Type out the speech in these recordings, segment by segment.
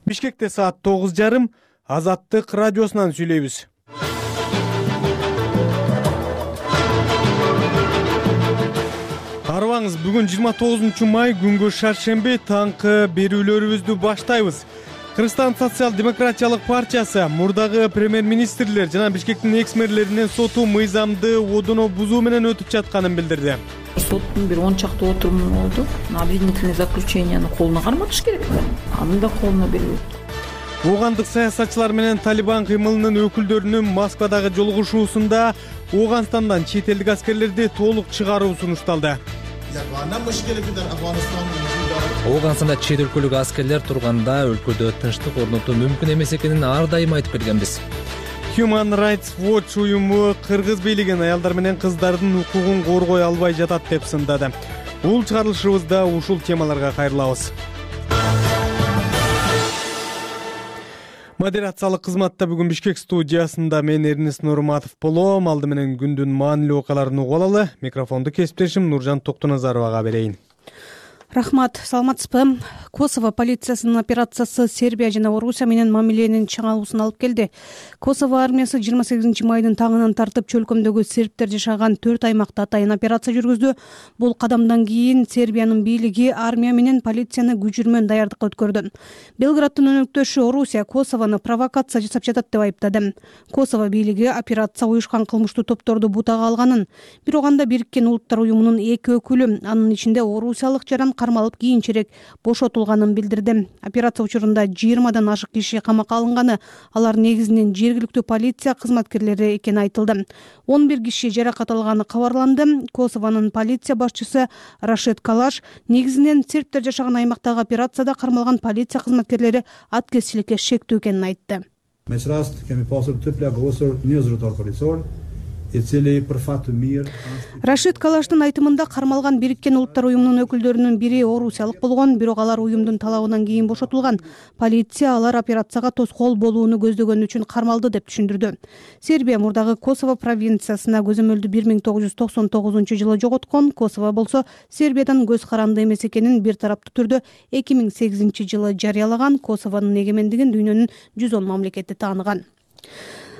Бишкекте саат 9:30 Азаттык радиосунан сүйлөйбүз. Арыбаңыз, бүгүн 29 май күнгө шаршемби таңкы берүүлөрүбүздү баштайбыз. Кыргызстан социал-демократиялык партиясы мурдагы премьер-министрлер жана Бишкектин экс-мэрлеринин соту мыйзамды одоно бузуу менен өтүп жатканын билдирди. Соттун бир 10 чакты отуруму болду. Обвинительный заключенияны колуна карматыш керек. Аны да колуна бербейт. Оогандык саясатчылар менен Талибан кыймылынын өкүлдөрүнүн Москвадагы жолугушуусунда Ооганстандан чет элдик аскерлерди толук чыгаруу сунушталды. Оогандстанда чет өлкөлүк аскерлер турганда өлкөдө тынчтык орнотуу мүмкүн эмес экенин ар дайым айтып келгенбиз. Human Rights Watch уюму кыргыз бийлигин аялдар менен кыздардын укугун коргой албай жатат деп сындады. Бул чыгарылышыбызда ушул темаларга кайрылабыз. Модерациялык кызматта бүгүн Бишкек студиясында мен Эрнис Нурматов болом. Алды менен күндүн маанилүү окуяларын угуп алалы. Микрофонду кесиптешим Нуржан Токтоназаровага берейин. Рахмат, саламатсызбы? Косово полициясынын операциясы Сербия жана Орусия менен мамиленин чыңалуусун алып келди. Косово армиясы 28 майдын таңынан тартып чөлкөмдөгү сербтер жашаган 4 аймакта атайын операция жүргүздү. Бул кадамдан кийин Сербиянын бийлиги армия менен полицияны күчүрмөн даярдыкка өткөрдү. Белграддын өнөктөшү Орусия Косовону провокация жасап жатат деп айыптады. Косово бийлиги операция уюшкан кылмыштуу топторду бутага алганын, бирок анда Бириккен Улуттар уюмунун 2 өкүлү, анын ичинде орусиялык жаран кармалып кийинчерээк бошотулганын билдирди. Операция учурунда 20дан ашык киши камакка алынганы, алар негизинен жергиликтүү полиция кызматкерлери экени айтылды. 11 киши жаракат алганы кабарланды. Косовонун полиция башчысы Рашид Калаш негизинен сербтер жашаган аймактагы операцияда кармалган полиция кызматкерлери аткезчиликке шектүү экенин айтты. Рашид Калаштын айтымында кармалган Бириккен Улуттар уюмунун өкүлдөрүнүн бири орусиялык болгон, бирок алар уюмдун талабынан кийин бошотулган. Полиция алар операцияга тоскоол болууну көздөгөн үчүн кармалды деп түшүндүрдү. Сербия мурдагы Косово провинциясына көзөмөлдү 1999 жылы жоготкон. Косово болсо Сербиядан көз каранды эмес экенин бир тараптуу түрдө 2008 жылы жарыялаган. Косовонун эгемендигин дүйнөнүн 110 мамлекети тааныган.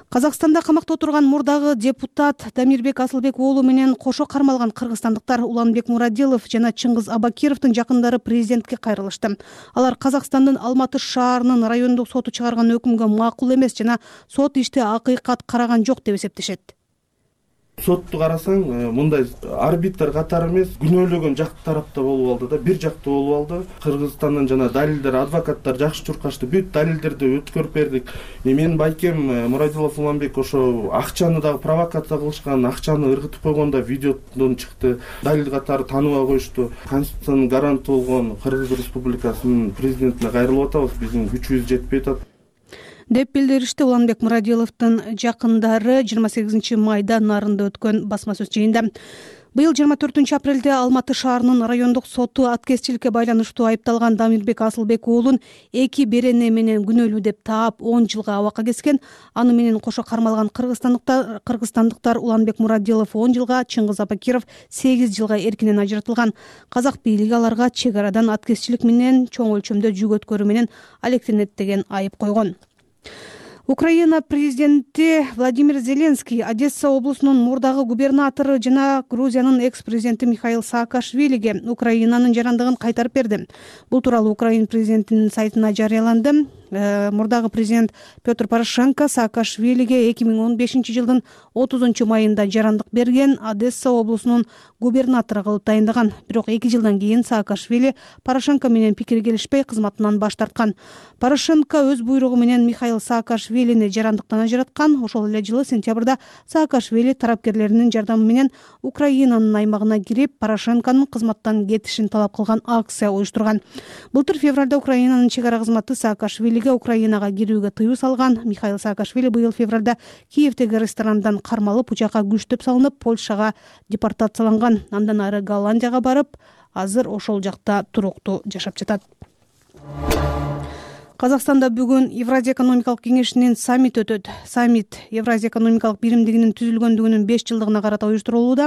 Казакстанда камакта отурган мурдагы депутат Дамирбек Асылбек уулу менен кошо кармалган кыргызстандыктар Уланбек Мурадилов жана Чыңгыз Абакировдун жакындары президентке кайрылышты. Алар Казакстандын Алматы шаарынын райондук соту чыгарган өкүмгө макул эмес жана сот ишти акыйкат караган жок деп эсептешет. Сотту карасаң, мындай арбитр катары эмес, күнөөлөгөн жак тарапта болуп алды да, бир жактуу болуп алды. Кыргызстандан жана далилдер, адвокаттар жакшы чуркашты, бүт далилдерди өткөрүп бердик. Менин байкем Мурадилов Уланбек ошо акчаны дагы провокация кылышкан, акчаны ыргытып койгондо видеодон чыкты. Далил катары тааныбай коюшту. Конституциянын гаранты болгон Кыргыз Республикасынын президентине кайрылып атабыз, биздин күчүбүз жетпей атат деп билдиришти Уланбек Мурадиловдун жакындары 28 майда Нарында өткөн басма сөз жыйында. Быйыл 24 апрелде Алматы шаарынын райондук соту аткезчиликке байланыштуу айыпталган Дамирбек Асылбек уулун 2 берене менен күнөөлүү деп таап 10 жылга абакка кескен. Аны менен кошо кармалган кыргызстандыктар Уланбек Мурадилов 10 жылга, Чыңгыз Абакиров 8 жылга эркинен ажыратылган. Казак бийлиги аларга чек арадан аткезчилик менен чоң өлчөмдө жүк өткөрүү менен алектенет деген айып койгон. Украина президенти Владимир Зеленский Одесса облусунун мурдагы губернатору жана Грузиянын экс-президенти Михаил Саакашвилиге Украинанын жарандыгын кайтарып берди. Бул тууралуу Украина президентинин сайтына жарыяланды. Мурдагы президент Петр Порошенко Саакашвилиге 2015 жылдын 30 майында жарандык берген, Одесса облусунун губернатору кылып тайындаган. Бирок 2 жылдан кийин Саакашвили Порошенко менен пикири келишпей кызматынан баш тарткан. Порошенко өз буйругу менен Михаил Саакашвилини жарандыктан ажыраткан. Ошол эле жылы сентябрда Саакашвили тарапкерлеринин жардамы менен Украинанын аймагына кирип, Порошенконун кызматтан кетишин талап кылган акция уюштурган. Былтыр февралда Украинанын чек ара кызматы Саакашвили Украинага кирүүгө тыюу салган. Михаил Саакашвили быйыл февралда Киевдеги ресторандан кармалып, учакка күчтөп салынып, Польшага депортацияланган. Андан ары Голландияга барып, азыр ошол жакта туруктуу жашап жатат. Казакстанда бүгүн Евразия экономикалык кеңешинин саммити өтөт. Саммит Евразия экономикалык биримдигинин түзүлгөндүгүнүн 5 жылдыгына карата уюштурулууда.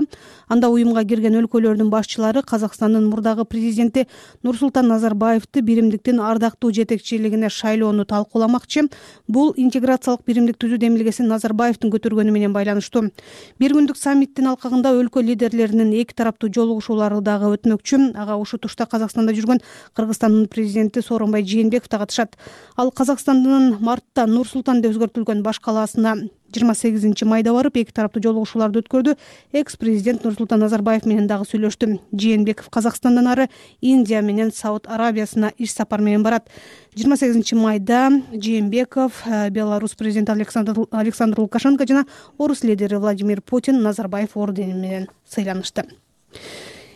Анда уюмга кирген өлкөлөрдүн башчылары Казакстандын мурдагы президенти Нурсултан Назарбаевди биримдиктин ардактуу жетекчилигине шайлоону талкууламакчы. Бул интеграциялык биримдик түзүү демилгесин Назарбаевдин көтөргөнү менен байланыштуу. Бир күндүк саммиттин алкагында өлкө лидерлеринин эки тараптуу жолугушуулары дагы өтмөкчү. Ага ушул тушта Казакстанда жүргөн Кыргызстандын президенти Сооронбай Жээнбеков да катышат. Ал Казакстандын мартта Нур-Султан деп өзгөртүлгөн баш калаасына 28 майда барып, эки тараптуу жолугушууларды өткөрдү. Экс-президент Нурсултан Назарбаев менен дагы сүйлөштү. Жээнбеков Казакстандан ары Индия менен Сауд Арабиясына иш сапар менен барат. 28 майда Жээнбеков Беларусь президенти Александр Лукашенко жана орус лидери Владимир Путин Назарбаев ордени менен сыйланышты.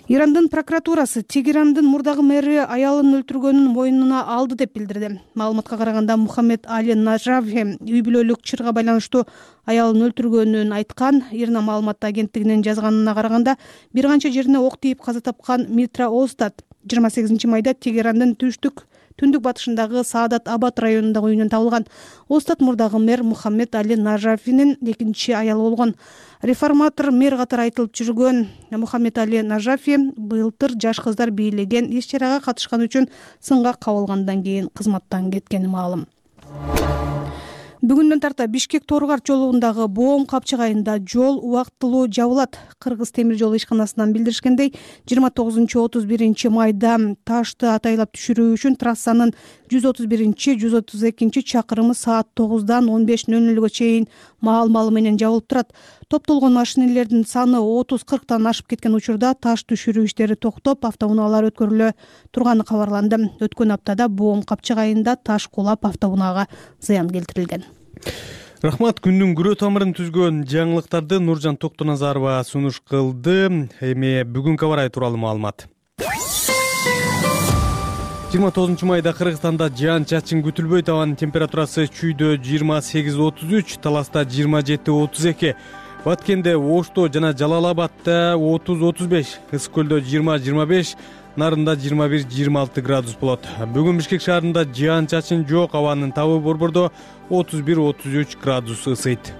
Ирандын прокуратурасы Тегерандын мурдагы мэри аялын өлтүргөнүн мойнуна алды деп билдирди. Маалыматка караганда Мухаммед Али Нажафи үй бүлөлүк чырга байланыштуу аялын өлтүргөнүн айткан. Ирна маалымат агенттигинин жазганына караганда бир канча жерине ок тийип каза тапкан Митра Остад 28 майда Тегерандын түндүк батышындагы Саадат Абад районундагы үйүнөн табылган. Остад мурдагы мэр Мухаммед Али Нажафинин экинчи аялы болгон. Реформатор мэр катары айтылып жүргөн Мухаммед Али Нажафи былтыр жаш кыздар бийлеген иш-чарага катышкан үчүн сынга кабылгандан кийин кызматтан кеткени маалым. Бүгүндөн тарта Бишкек Торгар жолундагы Боом капчыгайында жол убактылуу жабылат. Кыргыз темир жол ишканасынан билдиришкендей, 29-31 майда ташты атайлап түшүрүү үчүн трассанын 131-132 чакырымы саат 9-дан 15:00 чейин маал-малы менен жабылып турат. Топтолгон машинелердин саны 30-40тан ашып кеткен учурда таш түшүрүү иштери токтоп, автоунаалар өткөрүлө турганы кабарланды. Өткөн аптада Боом капчыгайында таш кулап автоунаага зыян келтирилген. Рахмат. Күндүн күрөө тамырын түзгөн жаңылыктарды Нуржан Токтоназарова сунуш кылды. Эми бүгүнкү аба ырайы тууралуу маалымат. 29 майда Кыргызстанда жаан чачын күтүлбөйт. Абанын температурасы чүйдө 28-33, Таласта 27-32, Баткенде, Ошто жана Жалал-Абадда 30-35, Ысык көлдө 20-25, Нарында 21-26 градус болот. Бүгүн Бишкек шаарында жаан чачын жок, абанын табы борбордо 31-33 градус ысыйт.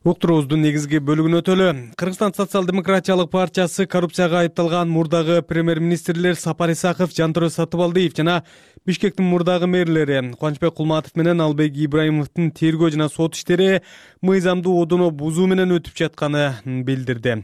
Уктуруубуздун негизги бөлүгүнө өтөлү. Кыргызстан социал-демократиялык партиясы коррупцияга айыпталган мурдагы премьер-министрлер Сапар Исаков, Жантөрө Сатыбалдиев жана Бишкектин мурдагы мэрлери Кубанычбек Кулматов менен Албек Ибраимовдун тергөө жана сот иштери мыйзамдуу одоно бузуу менен өтүп жатканын билдирди.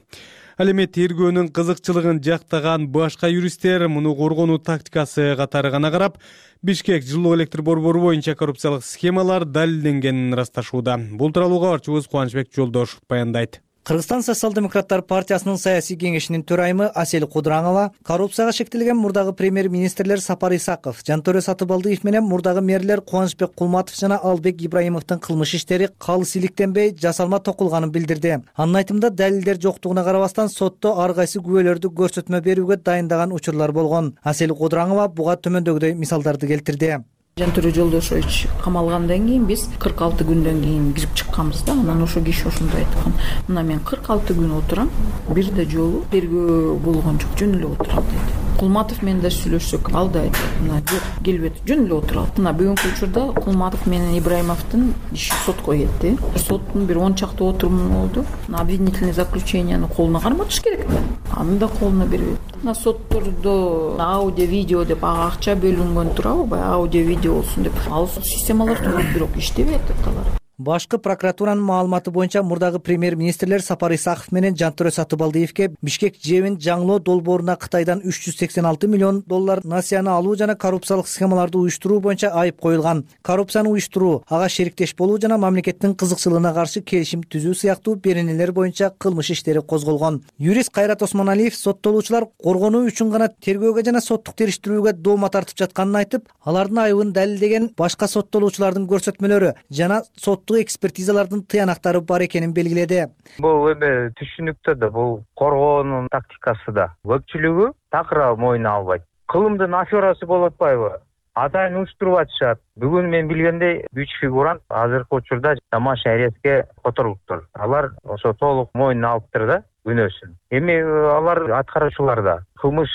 Ал эми тергөөнүн кызыкчылыгын жактаган башка юристтер муну коргонуу тактикасы катары гана карап, Бишкек жылуу электр борбору боюнча коррупциялык схемалар далилденгенин ырасташууда. Бул тууралуу кабарчыбыз Кубанычбек Жолдошов баяндайт. Кыргызстан социал-демократтар партиясынын саясий кеңешинин төрайымы Асель Кудураңова коррупцияга шектелген мурдагы премьер-министрлер Сапар Исаков, Жантөрө Сатыбалдиев менен мурдагы мэрлер Кубанычбек Кулматов жана Албек Ибраимовдун кылмыш иштери калыс иликтенбей, жасалма токулганын билдирди. Анын айтымында далилдер жоктугуна карабастан сотто ар кайсы күбөлөрдү көрсөтмө берүүгө дайындаган учурлар болгон. Асель Кудураңова буга төмөндөгүдөй мисалдарды келтирди. Жантөрө Жолдошович камалгандан кийин биз 46 күндөн кийин кирип чыкканбыз да. Анан ошо киши ошондой айткан. Мына мен 46 күн отурам, бир да жолу тергөө болгон жок, жөн эле отурам деди. Кулматов менен да сүйлөшсөк, ал да айтты, мына жок, келбейт, жөн эле отурат. Мына бүгүнкү учурда Кулматов менен Ибраимовдун иши сотко кетти. Соттун бир 10 чакты отуруму болду. Обвинительный заключенияны колуна карматыш керек да. Аны да колуна бербейт. Мына соттордо аудио, видео деп акча бөлүнгөн турабы, аудио, видео болсун деп. Ал системалар турат, бирок иштебейт алар. Башкы прокуратуранын маалыматы боюнча мурдагы премьер-министрлер Сапар Исаков менен Жантөрө Сатыбалдиевке Бишкек жебин жаңылоо долбооруна Кытайдан 386 миллион доллар насыяны алуу жана коррупциялык схемаларды уюштуруу боюнча айып коюлган. Коррупцияны уюштуруу, ага шериктеш болуу жана мамлекеттин кызыкчылыгына каршы келишим түзүү сыяктуу беренелер боюнча кылмыш иштери козголгон. Юрист Кайрат Осмоналиев соттолуучулар коргонуу үчүн гана тергөөгө жана соттук териштирүүгө доoma тартып жатканын айтып, алардын айыбын далилдеген башка соттолуучулардын көрсөтмөлөрү жана соттук экспертизалардын тыянактары бар экенин белгиледи. Бул эми түшүнүктүү да, бул коргоонун тактикасы да. Көпчүлүгү такыр мойнуна албайт. Кылымдын аферасы болуп атпайбы? Атайын уюштуруп атышат. Бүгүн мен билгендей 3 фигурант азыркы учурда Тамаш Ареске которулуптур. Алар ошо толук мойнуна алыптыр да. күнөөсүн. Эми алар аткаруучулар да кылмыш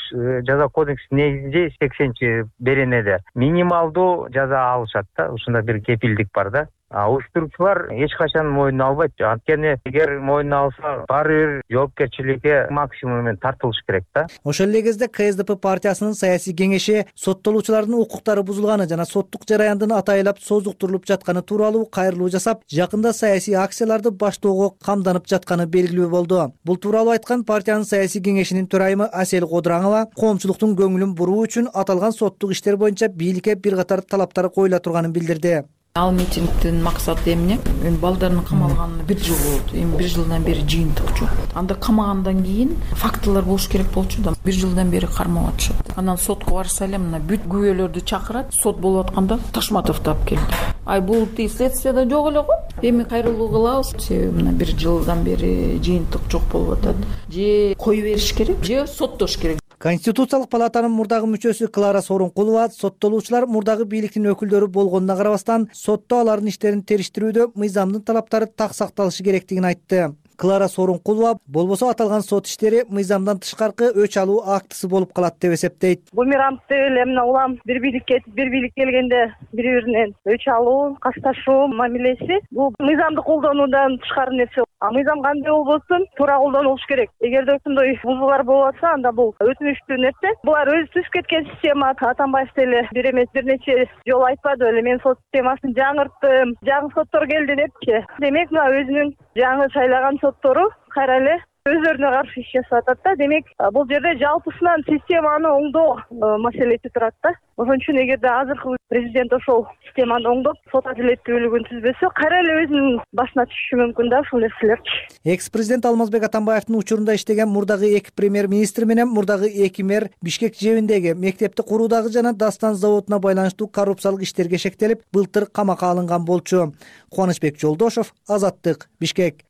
жаза кодексинин негизинде 80 беренеде минималдуу жаза алышат да. Ушундай бир кепилдик бар да. Уюштуруучулар эч качан мойнуна албайт. Анткени эгер мойнуна алса, баары бир жоопкерчиликке максимум менен тартылыш керек да. Ошол эле кезде КСДП партиясынын саясий кеңеши соттолуучулардын укуктары бузулганы жана соттук жараяндын атайлап созуктурулуп жатканы тууралуу кайрылуу жасап, жакында саясий акцияларды баштоого камданып жатканы белгилүү болду. Бул тууралуу айткан партиянын саясий кеңешинин төрайымы Асель Кодураңова коомчулуктун көңүлүн буруу үчүн аталган соттук иштер боюнча бийликке бир катар талаптар коюла турганын билдирди. Ал митингдин максаты эмне? Эми балдардын камалганына 1 жыл болду. Эми 1 жылдан бери жыйынтык жок. Анда камагандан кийин фактылар болуш керек болчу да. 1 жылдан бери кармап атышат. Анан сотко барса эле мына бүт күбөлөрдү чакырат. Сот болуп атканда Ташматовду алып келди. Бул следствияда жок эле го. Эми кайрылуу кылабыз. Себеби мына 1 жылдан бери жыйынтык жок болуп атат. Же кое бериш керек, же соттош керек. Конституциялык палатанын мурдагы мүчөсү Клара Сооронкулова соттолуучулар мурдагы бийликтин өкүлдөрү болгонуна карабастан сотто алардын иштерин териштирүүдө мыйзамдын талаптары так сакталышы керектигин айтты. Клара Сооронкулова болбосо аталган сот иштери мыйзамдан тышкаркы өч алуу актысы болуп калат деп эсептейт. Бумерангды эле мына улам бир бийлик кетип, бир бийлик келгенде бири-биринен өч алуу, кашташуу мамилеси бул мыйзамды колдонуудан тышкары нерсе. Мыйзам кандай болбосун туура колдонулуш керек. Эгерде ошондой бузуулар болуп атса, анда бул өтүнүчтүү нерсе. Булар өзү түзүп кеткен система. Атамбаев деле бир эмес бир нече жолу айтпады беле, мен сот системасын жаңырттым, жаңы соттор келди депчи. Демек мына өзүнүн жаңы шайлаган соттору кайра эле өздөрүнө каршы иш жасап атат да. Демек бул жерде жалпысынан системаны оңдоо маселеси турат да. Ошон үчүн эгерде азыркы президент ошол системаны оңдоп, сот адилеттүүлүгүн түзбөсө, кайра эле өзүнүн башына түшүшү мүмкүн да ушул нерселерчи. Экс-президент Алмазбек Атамбаевдин учурунда иштеген мурдагы 2 премьер-министр менен мурдагы 2 мэр Бишкек жэбиндеги мектепти куруудагы жана Дастан заводуна байланыштуу коррупциялык иштерге шектелип, былтыр камакка алынган болчу. Кубанычбек Жолдошов, Азаттык, Бишкек.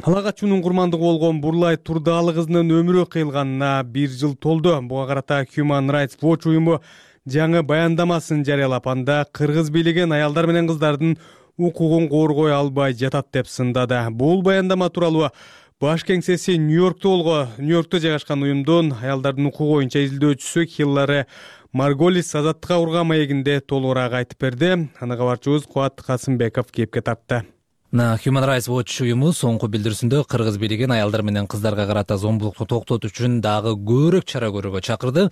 Ала качуунун курмандыгы болгон Бурлай Турдаалы кызынын өмүрү кыйылганына 1 жыл толду. Буга карата Human Rights Watch уюму жаңы баяндамасын жарыялап, анда кыргыз бийлиги аялдар менен кыздардын укугун коргой албай жатат деп сындады. Бул баяндама тууралуу баш кеңсеси Нью-Йоркто жайгашкан уюмдун аялдардын укугу боюнча изилдөөчүсү Хиллари Марголис Азаттыкка урган маегинде толугураак айтып берди. Аны кабарчыбыз Кубат Касымбеков кепке тартты. Human Rights Watch уюму соңку билдирүүсүндө кыргыз бийлигин аялдар менен кыздарга карата зомбулукту токтотуу үчүн дагы көбүрөөк чара көрүүгө чакырды.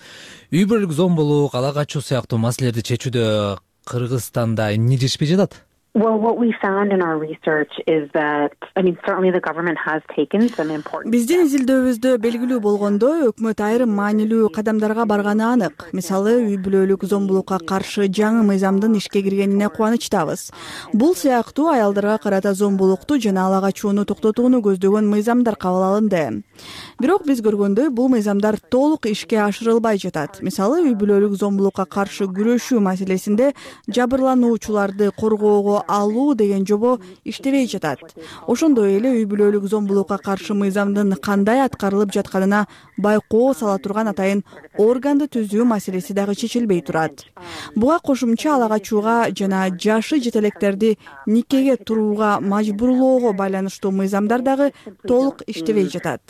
Үй бүлөлүк зомбулук, ала качуу сыяктуу маселелерди чечүүдө Кыргызстанда эмне жетишпей жатат? Well, what we found in our research is that, certainly the government has taken some important. Биздин изилдөөбүздө белгилүү болгондой, өкмөт айрым маанилүү кадамдарга барганы анык. Мисалы, үй бүлөлүк зомбулукка каршы жаңы мыйзамдын ишке киргенине кубанычтабыз. Бул сыяктуу аялдарга карата зомбулукту жана ала качууну токтотууну көздөгөн мыйзамдар кабыл алынды. Бирок биз көргөндөй, бул мыйзамдар толук ишке ашырылбай жатат. Мисалы, үй бүлөлүк зомбулукка каршы күрөшүү маселесинде жабырлануучуларды коргоого алуу деген жобо иштебей жатат. Ошондой эле үй бүлөлүк зомбулукка каршы мыйзамдын кандай аткарылып жатканына байкоо сала турган атайын органды түзүү маселеси дагы чечилбей турат. Буга кошумча ала качууга жана жашы жетелектерди никеге турууга мажбурлоого байланыштуу мыйзамдар дагы толук иштебей жатат.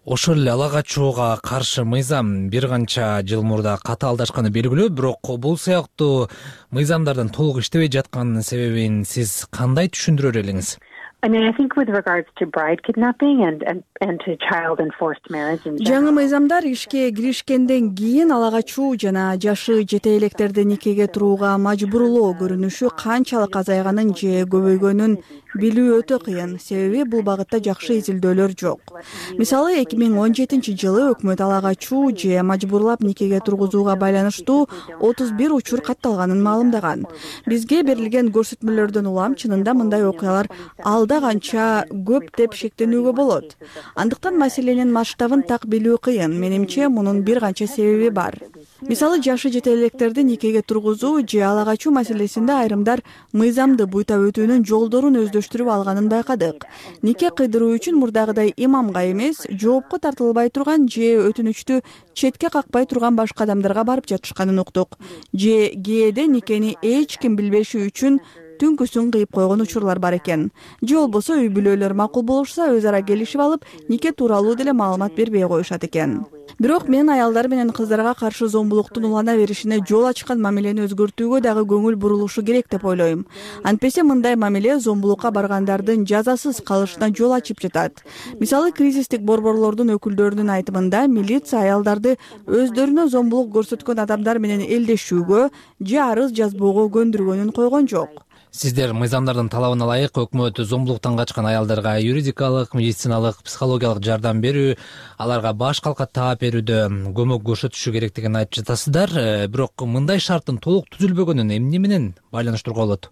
Ошол эле ала качууга каршы мыйзам бир канча жыл мурда катаалдашканы белгилүү, бирок бул сыяктуу мыйзамдардын толук иштебей жатканынын себебин сиз кандай түшүндүрөр элеңиз? I think with regards to bride kidnapping and to child enforced marriage. Жаңы мыйзамдар ишке киришкенден кийин ала качуу жана жашы жете электерди никеге турууга мажбурлоо көрүнүшү канчалык азайганын же көбөйгөнүн билүү өтө кыйын. Себеби бул багытта жакшы изилдөөлөр жок. Мисалы 2017-жылы өкмөт ала качуу же мажбурлап никеге тургузууга байланыштуу 31 учур катталганын маалымдаган. Бизге берилген көрсөтмөлөрдөн улам чынында мындай окуялар алда канча көп деп шектенүүгө болот. Андыктан маселенин масштабын так билүү кыйын. Менимче мунун бир канча себеби бар. Мисалы, жашы жете электерди никеге тургузуу же ала качуу маселесинде айрымдар мыйзамды буйта өтүүнүн жолдорун тештирип алганын байкадык. Нике кыйдыруу үчүн мурдагыдай имамга эмес, жоопко тартылбай турган же өтүнүчтү четке какпай турган башка адамдарга барып жатышканын уктук. Же кээде никени эч ким билбеши үчүн түнкүсүн кыйып койгон учурлар бар экен. Же болбосо үй бүлөлөр макул болушса, өз ара келишип алып, нике тууралуу деле маалымат бербей коюшат экен. Бирок мен аялдар менен кыздарга каршы зомбулуктун улана беришине жол ачкан мамилени өзгөртүүгө дагы көңүл бурулушу керек деп ойлойм. Антпесе мындай мамиле зомбулукка баргандардын жазасыз калышына жол ачып жатат. Мисалы, кризистик борборлордун өкүлдөрүнүн айтымында милиция аялдарды өздөрүнө зомбулук көрсөткөн адамдар менен элдешүүгө же арыз жазбоого көндүргөнүн койгон жок. Сиздер мыйзамдардын талабына ылайык өкмөт зомбулуктан качкан аялдарга юридикалык, медициналык, психологиялык жардам берүү, аларга баш калка таап берүүдө көмөк көрсөтүшү керектигин айтып жатасыздар. Бирок мындай шарттын толук түзүлбөгөнүн эмне менен байланыштырууга болот?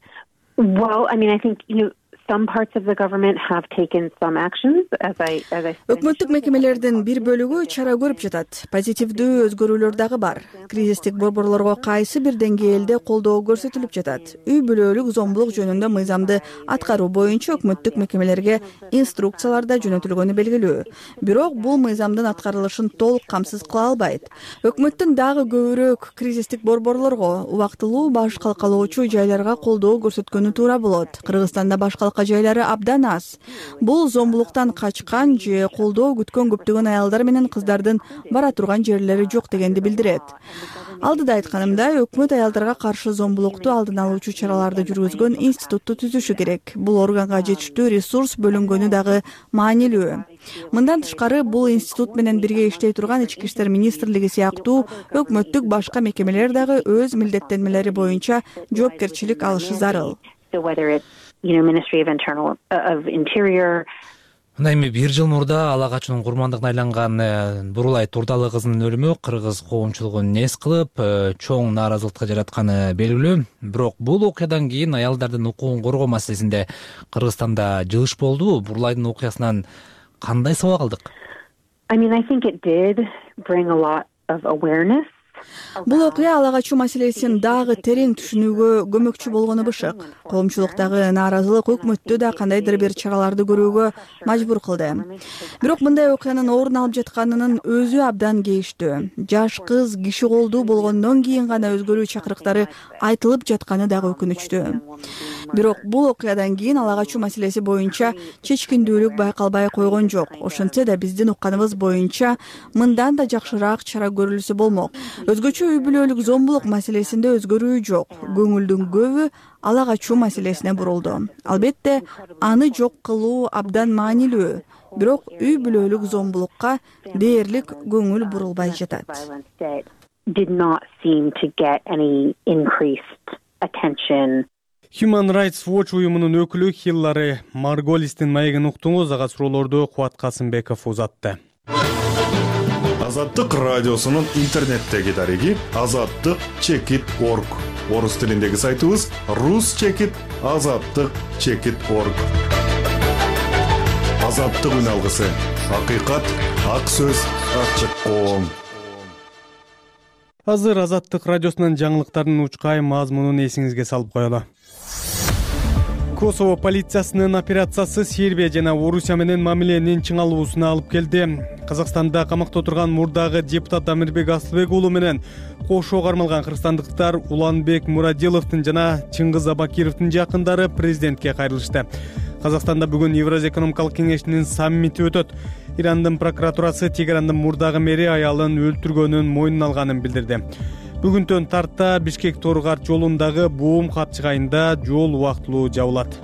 Well, I mean, I think, some parts of the government have taken some actions, as I Өкмөттүк мекемелердин бир бөлүгү чара көрүп жатат. Позитивдүү өзгөрүүлөр дагы бар. Кризистик борборлорго кайсы бир деңгээлде колдоо көрсөтүлүп жатат. Үй бүлөлүк зомбулук жөнүндө мыйзамды аткаруу боюнча өкмөттүк мекемелерге инструкциялар да жөнөтүлгөнү белгилүү. Бирок бул мыйзамдын аткарылышын толук камсыз кыла албайт. Өкмөттүн дагы көбүрөөк кризистик борборлорго, убактылуу баш калкалоочу жайларга колдоо көрсөткөнү туура болот. Кыргызстанда баш жайлары абдан аз. Бул зомбулуктан качкан же колдоо күткөн көптөгөн аялдар менен кыздардын бара турган жерлери жок дегенди билдирет. Алдыда айтканымдай, өкмөт аялдарга каршы зомбулукту алдын алуучу чараларды жүргүзгөн институтту түзүшү керек. Бул органга жетиштүү ресурс бөлүнгөнү дагы маанилүү. Мындан тышкары, бул институт менен бирге иштей турган Ички иштер министрлиги сыяктуу өкмөттүк башка мекемелер дагы өз милдеттенмелери боюнча жоопкерчилик алышы зарыл. Ministry of Interior. Мындай эми бир жыл мурда ала качуунун курмандыгына айланган Бурулай Турдалы кызынын өлүмү кыргыз коомчулугун нес кылып, чоң нааразылыкка жаратканы белгилүү. Бирок бул окуядан кийин аялдардын укугун коргоо маселесинде Кыргызстанда жылыш болду. Бурулайдын окуясынан кандай сабак алдык? I mean, I think it did bring a lot of awareness. Бул окуя ала качуу маселесин дагы терең түшүнүүгө көмөкчү болгону бышык. Коомчулуктагы нааразылык өкмөттү да кандайдыр бир чараларды көрүүгө мажбур кылды. Бирок мындай окуянын орун алып жатканынын өзү абдан кейиштүү. Жаш кыз киши колдуу болгондон кийин гана өзгөрүү чакырыктары айтылып жатканы дагы өкүнүчтүү. Бирок бул окуядан кийин ала качуу маселеси боюнча чечкиндүүлүк байкалбай койгон жок. Ошентсе да биздин укканыбыз боюнча мындан да жакшыраак чара көрүлсө болмок. Өзгөчө үй бүлөлүк зомбулук маселесинде өзгөрүү жок. Көңүлдүн көбү ала качуу маселесине бурулду. Албетте, аны жок кылуу абдан маанилүү. Бирок үй бүлөлүк зомбулукка дээрлик көңүл бурулбай жатат. Human Rights Watch уюмунун өкүлү Хиллари Марголистин маегин уктуңуз. Ага суроолорду Кубат Касымбеков узатты. Азаттык радиосунун интернеттеги дареги azattik.org. Орус тилиндеги сайтыбыз rus.azattik.org. Азаттык үн алгысы. Акыйкат, ак сөз, ачык коом. Азыр Азаттык радиосунун жаңылыктарынын учкай мазмунун эсиңизге салып коелу. Косово полициясынын операциясы Сербия жана Орусия менен мамиленин чыңалуусуна алып келди. Казакстанда камакта отурган мурдагы депутат Амирбек Асылбек уулу менен кошо кармалган кыргызстандыктар Уланбек Мурадиловдун жана Чыңгыз Абакировдун жакындары президентке кайрылышты. Казакстанда бүгүн Евразия экономикалык кеңешинин саммити өтөт. Ирандын прокуратурасы Тегерандын мурдагы мэри аялын өлтүргөнүн мойнуна алганын билдирди. Бүгүнтөн тарта Бишкек Торгарт жолундагы Буум капчыгайында жол убактылуу жабылат.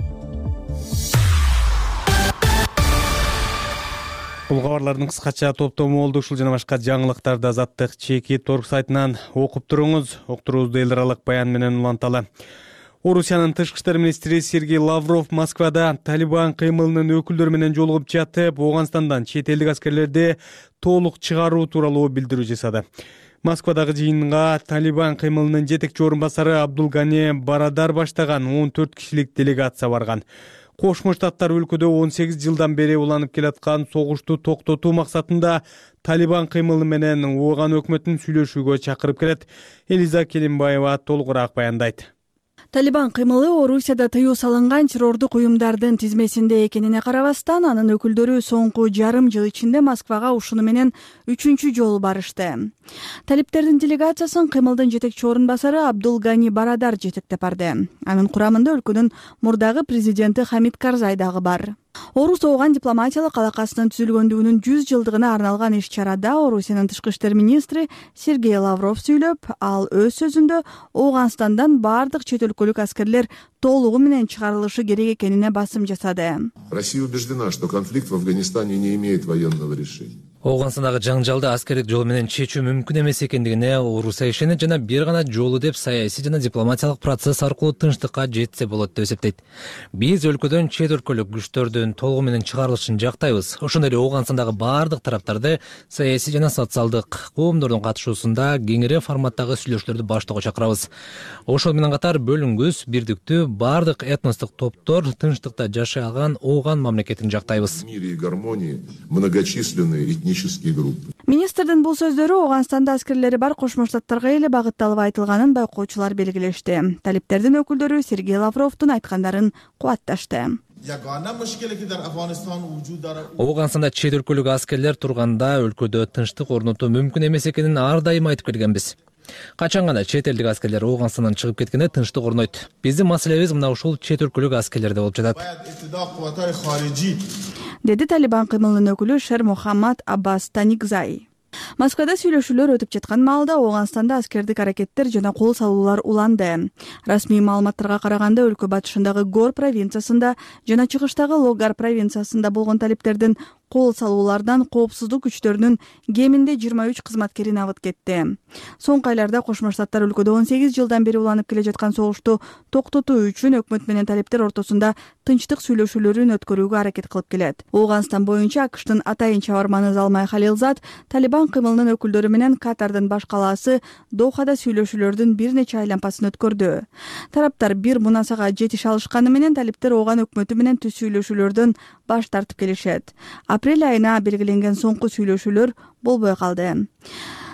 Бул кабарлардын кыскача топтому болду. Ушул жана башка жаңылыктарды Азаттык Чекит Торг сайтынан окуп туруңуз. Октурубузду эл аралык баян менен уланталы. Орусиянын тышкы иштер министри Сергей Лавров Москвада Талибан кыймылынын өкүлдөрү менен жолугуп жатып, Ооганстандан чет элдик аскерлерди толук чыгаруу тууралуу билдирүү жасады. Москвадагы жыйынга Талибан кыймылынын жетекчи орун басары Абдулгани Барадар баштаган 14 кишилик делегация барган. Кошмо Штаттар өлкөдө 18 жылдан бери уланып келаткан согушту токтотуу максатында Талибан кыймылы менен Ооган өкмөтүн сүйлөшүүгө чакырып келет. Элиза Келимбаева толугураак баяндайт. Талибан кыймылы Орусияда тыюу салынган террордук уюмдардын тизмесинде экенине карабастан, анын өкүлдөрү соңку жарым жыл ичинде Москвага ушуну менен 3-чү жолу барышты. Талиптердин делегациясын кыймылдын жетекчи орун басары Абдулгани Барадар жетектеп барды. Анын курамында өлкөнүн мурдагы президенти Хамид Карзай дагы бар. Орус-Ооган дипломатиялык алакасынын түзүлгөндүгүнүн 100 жылдыгына арналган иш-чарада Орусиянын тышкы иштер министри Сергей Лавров сүйлөп, ал өз сөзүндө Ооганстандан бардык чет өлкөлүк аскерлер толугу менен чыгарылышы керек экенине басым жасады. Россия убеждена, что конфликт в Афганистане не имеет военного решения. Оогандагы жаңжалды аскердик жол менен чечүү мүмкүн эмес экендигине Орусия ишенет жана бир гана жолу деп саясий жана дипломатиялык процесс аркылуу тынчтыкка жетсе болот деп эсептейт. Биз өлкөдөн чет өлкөлүк күчтөрдүн толугу менен чыгарылышын жактайбыз. Ошондой эле Оогандагы бардык тараптарды саясий жана социалдык коомдордун катышуусунда кеңири форматтагы сүйлөшүүлөрдү баштоого чакырабыз. Ошол менен катар бөлүнгүс, бирдиктүү бардык этностук топтор тынчтыкта жашай алган Ооган мамлекетин жактайбыз. В мире и гармонии многочисленные этнические группы. Министрдин бул сөздөрү Ооганстанда аскерлери бар Кошмо Штаттарга эле багытталып айтылганын байкоочулар белгилешти. Талиптердин өкүлдөрү Сергей Лавровдун айткандарын кубатташты. Ооганданда чет өлкөлүк аскерлер турганда өлкөдө тынчтык орнотуу мүмкүн эмес экенин ар дайым айтып келгенбиз. Качан гана чет элдик аскерлер Ооганстандан чыгып кеткенде тынчтык орнойт. Биздин маселебиз мына ушул чет өлкөлүк аскерлерде болуп жатат. Деди Талибан кыймылынын өкүлү Шер Мухаммад Аббас Таникзай. Москвада сүйлөшүүлөр өтүп жаткан маалда Ооганстанда аскердик аракеттер жана кол салуулар уланды. Расмий маалыматтарга караганда өлкө батышындагы Гор провинциясында жана чыгыштагы Логар провинциясында болгон талиптердин кол салуулардан коопсуздук күчтөрүнүн кеминде 23 кызматкери набыт кетти. Соңку айларда Кошмо Штаттар өлкөдө 18 жылдан бери уланып келе жаткан согушту токтотуу үчүн өкмөт менен талиптер ортосунда тынчтык сүйлөшүүлөрүн өткөрүүгө аракет кылып келет. Ооганстан боюнча АКШтын атайын чабарманы Залмай Халилзад Талибан кыймылынын өкүлдөрү менен Катардын баш калаасы Дохада сүйлөшүүлөрдүн бир нече айлампасын өткөрдү. Тараптар бир мунасага жетише алышканы менен талиптер Ооган өкмөтү менен түз сүйлөшүүлөрдөн баш тартып келишет. Апрель айына белгиленген соңку сүйлөшүүлөр болбой калды.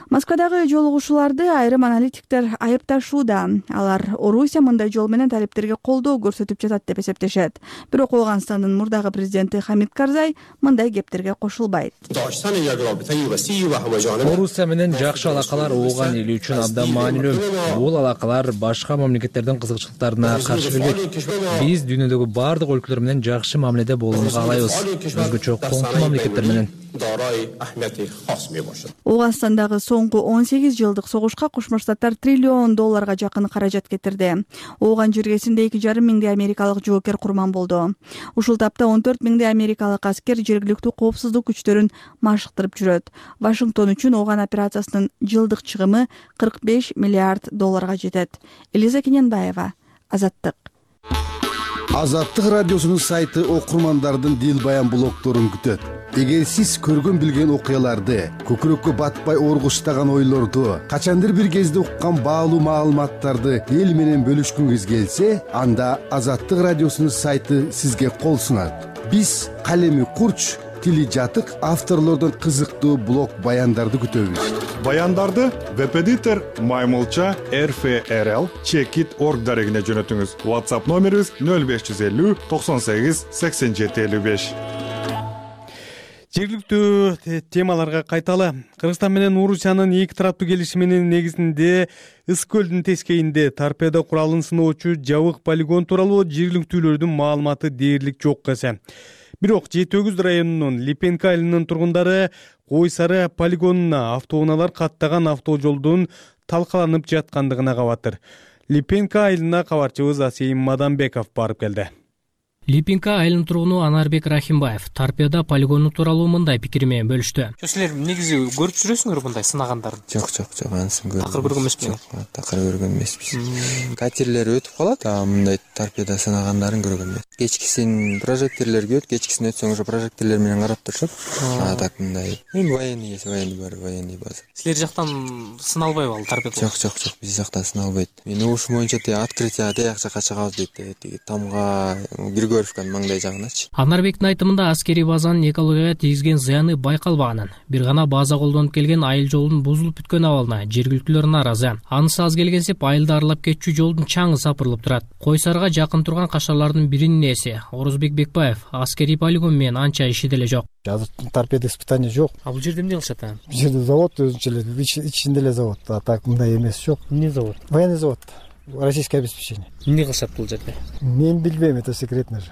Москвадагы жолугушууларды айрым аналитиктер айыпташууда. Алар Орусия мындай жол менен талиптерге колдоо көрсөтүп жатат деп эсептешет. Бирок Ооганстандын мурдагы президенти Хамид Карзай мындай кептерге кошулбайт. Орусия менен жакшы алакалар Ооган эли үчүн абдан маанилүү. Бул алакалар башка мамлекеттердин кызыкчылыктарына каршы келбейт. Биз дүйнөдөгү бардык өлкөлөр менен жакшы мамиледе болууну каалайбыз. Өзгөчө коңку мамлекеттер менен. Ооганстандагы соңку 18 жылдык согушка Кошмо Штаттар $1 триллион жакын каражат кетирди. Ооган жергесинде 2,5 миңдей америкалык жоокер курман болду. Ушул тапта 14 миңдей америкалык аскер жергиликтүү коопсуздук күчтөрүн машыктырып жүрөт. Вашингтон үчүн Ооган операциясынын жылдык чыгымы $45 миллиард жетет. Элиза Кененбаева, Азаттык. Азаттык радиосунун сайты окурмандардын дил баян блогторун күтөт. Эгер сиз көргөн билген окуяларды, көкүрөккө батпай оргуштаган ойлорду, качандыр бир кезде уккан баалуу маалыматтарды эл менен бөлүшкүңүз келсе, анда Азаттык радиосунун сайты сизге кол сунат. Биз калеми курч, тили жатык авторлордун кызыктуу блог баяндарды күтөбүз. Баяндарды веб-эдитор Маймылча RFRL Checkit.org дарегине жөнөтүңүз. WhatsApp номерибиз 0550 98 87 55. Жергиликтүү темаларга кайталы. Кыргызстан менен Орусиянын эки тараптуу келишиминин негизинде Ыс көлдүн тескейинде торпедо куралын сыноочу жабык полигон тууралуу жергиликтүүлөрдүн маалыматы дээрлик жок эсе. Бирок Жети-Өгүз районунун Липенка айылынын тургундары Кой Сары полигонуна автоунаалар каттаган автожолдун талкаланып жаткандыгына кабатыр. Липенка айылына кабарчыбыз Асейим Мадамбеков барып келди. Липенка айылынын тургуну Анарбек Рахимбаев торпедо полигону тууралуу мындай пикир менен бөлүштү. Силер негизи көрүп жүрөсүңөр мындай сынагандарды? Жок, анысын көргөм. Такыр көргөн эмеспиз. Такыр көргөн эмеспиз. Катерлер өтүп калат, мындай торпедо сынагандарын көргөн эмес. Кечкисин прожектерлер күйөт, кечкисин өтсөң уже прожектерлер менен карап турушат. Так мындай. Военный бар, военный база. Силер жактан сыналбайбы ал торпедо? Жок, биз жактан сыналбайт. Мен ушул боюнча открытие тияк жакка чыгабыз дейт. Тамга биргө Егоровканын маңдай жагыначы. Анарбектин айтымында аскерий базанын экологияга тийгизген зыяны байкалбаганын, бир гана база колдонуп келген айыл жолунун бузулуп бүткөн абалына жергиликтүүлөр нааразы. Анысы аз келгенсип айылды аралап кетчү жолдун чаңы сапырылып турат. Кой Сарыга жакын турган кашарлардын биринин ээси Орозбек Бекбаев аскерий полигон менен анча иши деле жок. Торпеда испытания жок. А бул жерде эмне кылышат? Бул жерде завод өзүнчө эле, ичинде эле завод. А так мындай эмес жок. Эмне завод? Военный завод. Российское обеспечение. Эмне кылышат бул жерде? Мен билбейм, это секретно же.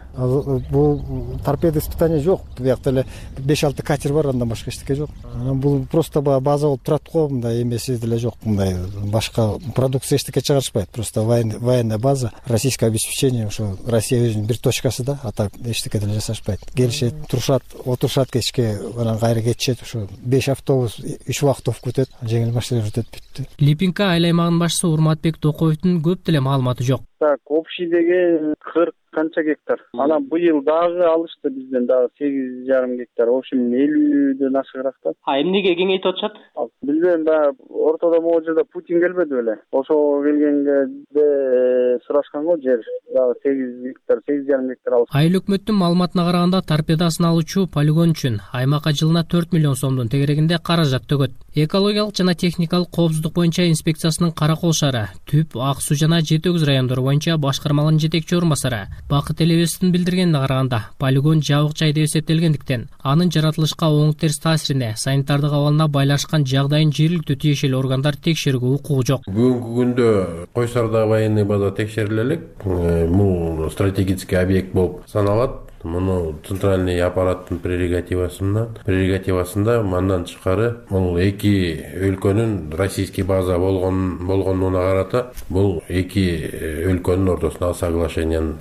Бул торпеда испытания жок. Буякта эле 5-6 катер бар, андан башка эчтеке жок. Бул просто база болуп турат го, мындай эмеси деле жок. Мындай башка продукция эчтеке чыгарышпайт. Просто военная база, российское обеспечение, ошо Россия өзүнүн бир точкасы да, а так эчтеке деле жасашпайт. Келишет, турушат, отурушат кечке, анан кайра кетишет, ошо 5 автобус 3 убактов күтөт, жеңил машиналар өтөт, бүттү. Липинка айыл аймагынын башчысы Урматбек Токоевдун көп деле маалыматы жок. Так, общийдеги 40 канча гектар. Анан быйыл дагы алышты бизден дагы 8,5 гектар. В общем 50ден ашыгыраак да. Эмнеге кеңейтип атышат? Билбейм, баягы ортодо могу жерде Путин келбеди беле. Ошого келгенде сурашканго жер дагы 8 гектар, 8,5 гектар алышты. Айыл өкмөттүн маалыматына караганда торпеда сыналуучу полигон үчүн аймакка жылына 4 миллион сомдун тегерегинде каражат төгөт. Экологиялык жана техникалык коопсуздук боюнча инспекциясынын Каракол шаары, Түп, Ак Суу жана Жети Өгүз райондору боюнча башкармалын жетекчи орун басары Бакыт Элебестин билдиргенине караганда, полигон жабык жай деп эсептелгендиктен, анын жаратылышка оң терс таасирине, санитардык абалына байлашкан жагдайын жергиликтүү тиешелүү органдар текшерүүгө укугу жок. Бүгүнкү күндө Кой Сарыда военный база текшериле элек. Бул стратегический объект болуп саналат. Муну центральный аппараттын прерогативасында мандан тышкары бул эки өлкөнүн российский база болгонуна карата бул эки өлкөнүн ортосундагы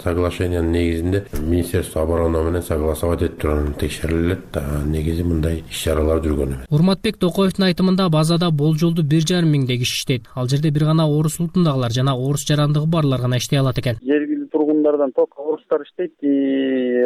соглашениянын негизинде Министерство обороны менен согласовать этип турган текшерилет. Негизи мындай иш-чаралар жүргөн эмес. Урматбек Токоевдун айтымында базада болжолду 1,5 миңдей киши иштейт. Ал жерде бир гана орус улутундагылар жана орус жарандыгы барлар гана иштей алат экен. Жергиликтүү тургундардан только орустар иштейт,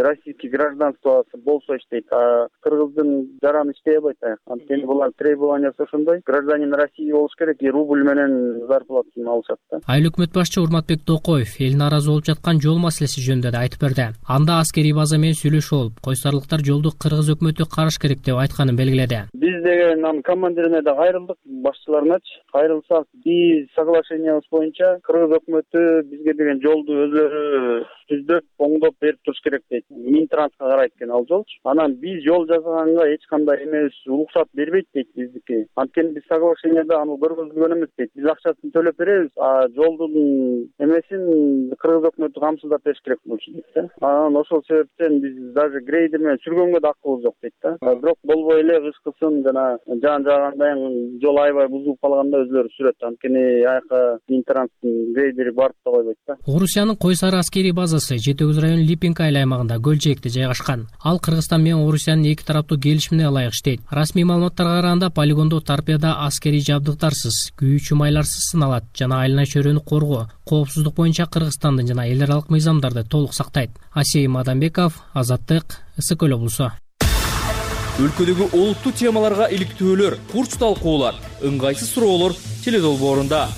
российский гражданствосы болсо иштейт, а кыргыздын жараны иштей албайт. Анткени булар требованиясы ошондой. Гражданин России болуш керек, рубль менен зарплатасын алышат да. Айыл өкмөт башчы Урматбек Токоев эл нааразы болуп жаткан жол маселеси жөнүндө да айтып берди. Анда аскерий база менен сүйлөшүп алып, койсарлыктар жолду кыргыз өкмөтү караш керек деп айтканын белгиледи. Биз деген анын командирине да кайрылдык, башчыларыначы кайрылсак, биз соглашениябыз боюнча кыргыз өкмөтү бизге деген жолду өзүлөрү түздөп, оңдоп берип туруш керек дейт. Минтранска карайт экен ал жолчу. Анан биз жол жасаганга эч кандай эмес уруксат бербейт дейт биздики. Анткени биз соглашенияда аны көргөзүлгөн эмес дейт. Биз акчасын төлөп беребиз, а жолдун эмесин кыргыз өкмөтү камсыздап бериш керек болчу дейт да. Анан ошол себептен биз даже грейдер менен сүргөнгө да акыбыз жок дейт да. Бирок болбой эле кышкысын жана жаан жааганда жол аябай бузулуп калганда өзүлөрү сүрөт. Анткени аяка Минтранстын грейдери барып да койбойт да. Орусиянын Кой Сары аскерий базасы Жети Өгүз районунун Липинка айыл аймагында Көлчекте жайгашкан. Ал Кыргызстан менен Орусиянын эки тараптуу келишимине ылайык иштейт. Расмий маалыматтарга караганда полигондо торпеда аскерий жабдыктарсыз, күйүүчү майларсыз сыналат жана айлана чөйрөнү коргоо, коопсуздук боюнча Кыргызстандын жана эл аралык мыйзамдарды толук сактайт. Асей Мадамбеков, Азаттык, Ысык Көл облусу. Өлкөдөгү олуттуу темаларга иликтөөлөр, курч талкуулар, ыңгайсыз суроолор теледолбоорунда.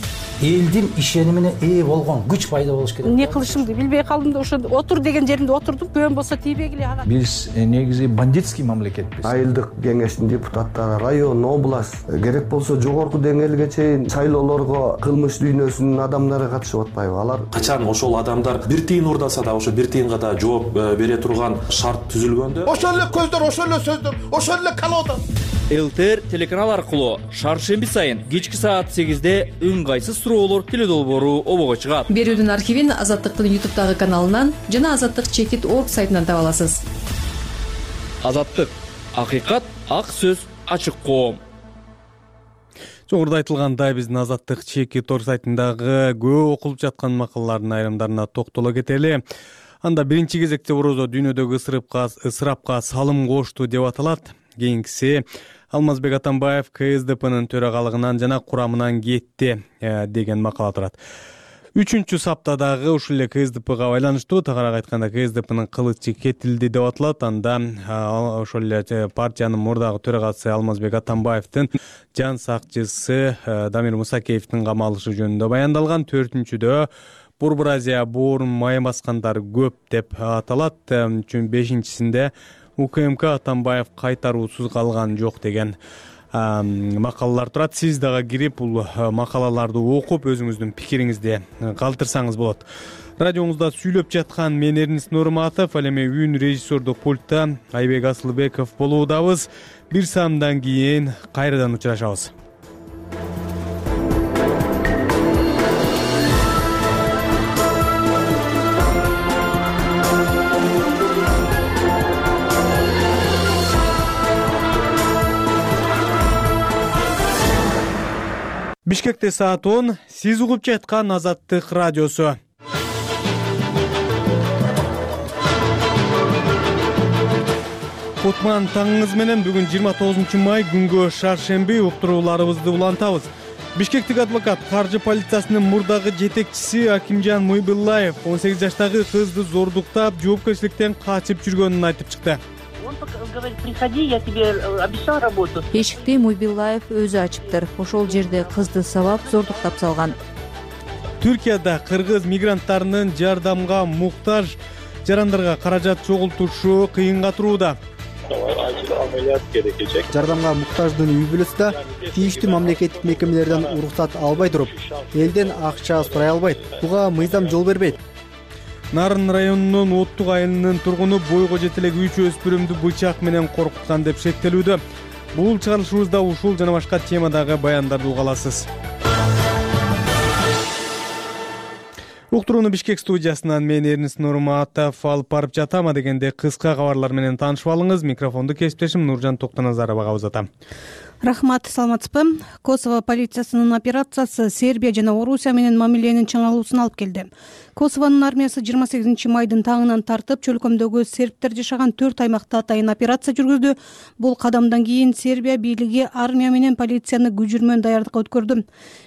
Элдин ишенимине ээ болгон күч пайда болуш керек. Эмне кылышымды билбей калдым да ошо отур деген жеримде отурдум. Көбөн болсо тийбегиле ага. Биз негизи бандитский мамлекетпиз. Айылдык кеңештин депутаттары, район, область, керек болсо жогорку деңгээлге чейин шайлоолорго кылмыш дүйнөсүнүн адамдары катышып атпайбы? Алар качан ошол адамдар бир тыйын урдаса да ошо бир тыйынга да жооп бере турган шарт түзүлгөндө ошол эле көздөр, ошол эле сөздөр, ошол эле колода. ЛТР телеканал аркылуу шаршемби сайын кечки саат 8-де ыңгайсыз суроолор теледолбоору обого чыгат. Берүүдүн архивин Азаттыктын YouTube каналынан жана azattik.org сайтынан таба аласыз. Азаттык, акыйкат, ак сөз, ачык коом. Жогоруда айтылгандай биздин azattik.org сайтындагы көп окулуп жаткан макалалардын айрымдарына токтоло кетели. Анда биринчи кезекте орозо дүйнөдөгү ысырапка салым кошту деп аталат. Кийинкиси Алмазбек Атамбаев КСДПнын төрагалыгынан жана курамынан кетти деген макала турат. Үчүнчү саптадагы ушул эле КСДПга байланыштуу, тагыраак айтканда КСДПнын кылычы кетилди деп аталат. Анда ошол эле партиянын мурдагы төрагасы Алмазбек Атамбаевдин жан сакчысы Дамир Мусакеевдин камалышы жөнүндө баяндалган. Төртүнчүдө Борбор Азия боорун май баскандар көп деп аталат. Чүн 5-синде УКМК Атамбаев кайтаруусуз калган жок деген макалалар турат. Сиз дагы кирип бул макалаларды окуп өзүңүздүн пикириңизди калтырсаңыз болот. Радиоңузда сүйлөп жаткан мен Эрнис Нурматов, ал эми үн режиссердук пультта Айбек Асылбеков болуудабыз. Бир саамдан кийин кайрадан учурашабыз. Бишкекте саат 10. Сиз угуп жаткан Азаттык радиосу. Кутман таңыңыз менен бүгүн 29 май күнгө шаршемби уктурууларыбызды улантабыз. Бишкектик адвокат каржы полициясынын мурдагы жетекчиси Акимжан Муйбуллаев 18 жаштагы кызды зордуктап, жоопкерчиликтен качып жүргөнүн айтып чыкты. Приходи, я тебе обещал работу. Эшикти Муйбуллаев өзү ачыптыр. Ошол жерде кызды сабап, зордуктап салган. Түркияда кыргыз мигранттарынын жардамга муктаж жарандарга каражат чогултушу кыйынга турууда. Амелият керекечек. Жардамга муктаждын үй бүлөсү тийиштүү мамлекеттик мекемелерден уруксат албай туруп, элден акча сурай албайт. Буга мыйзам жол бербейт. Нарын районунун Оттук айылынын тургуну бойго жете элек 3 өспүрүмдү бычак менен коркуткан деп шектелүүдө. Бул чыгарылышыбызда ушул жана башка темадагы баяндарды уга аласыз. Уктурууну Бишкек студиясынан мен Эрнис Нурматов алып барып жатам. Дегенде кыска кабарлар менен таанышып алыңыз. Микрофонду кесиптешим Нуржан Токтоназаровага узатам. Рахмат, саламатсызбы? Косово полициясынын операциясы Сербия жана Орусия менен мамиленин чыңалуусун алып келди. Косованын армиясы 28 майдын таңынан тартып, чөлкөмдөгү сербтер жашаган 4 аймакта атайын операция жүргүздү. Бул кадамдан кийин Сербия бийлиги армия менен полицияны күжүрмөн даярдыкка өткөрдү.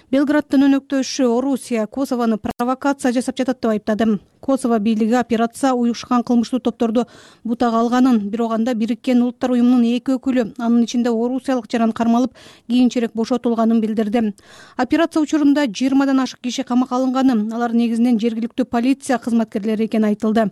Белграддын өнөктөшү Орусия Косовону провокация жасап жатат деп айыптады. Косово бийлиги операция уюшкан кылмыштуу топторду бутага алганын, бирок анда Бириккен Улуттар уюмунун 2 өкүлү, анын ичинде орусиялык жаран кармалып, кийинчерээк бошотулганын билдирди. Операция учурунда 20дан ашык киши камакка алынганы, алар негизинен жергиликтүү полиция кызматкерлери экени айтылды.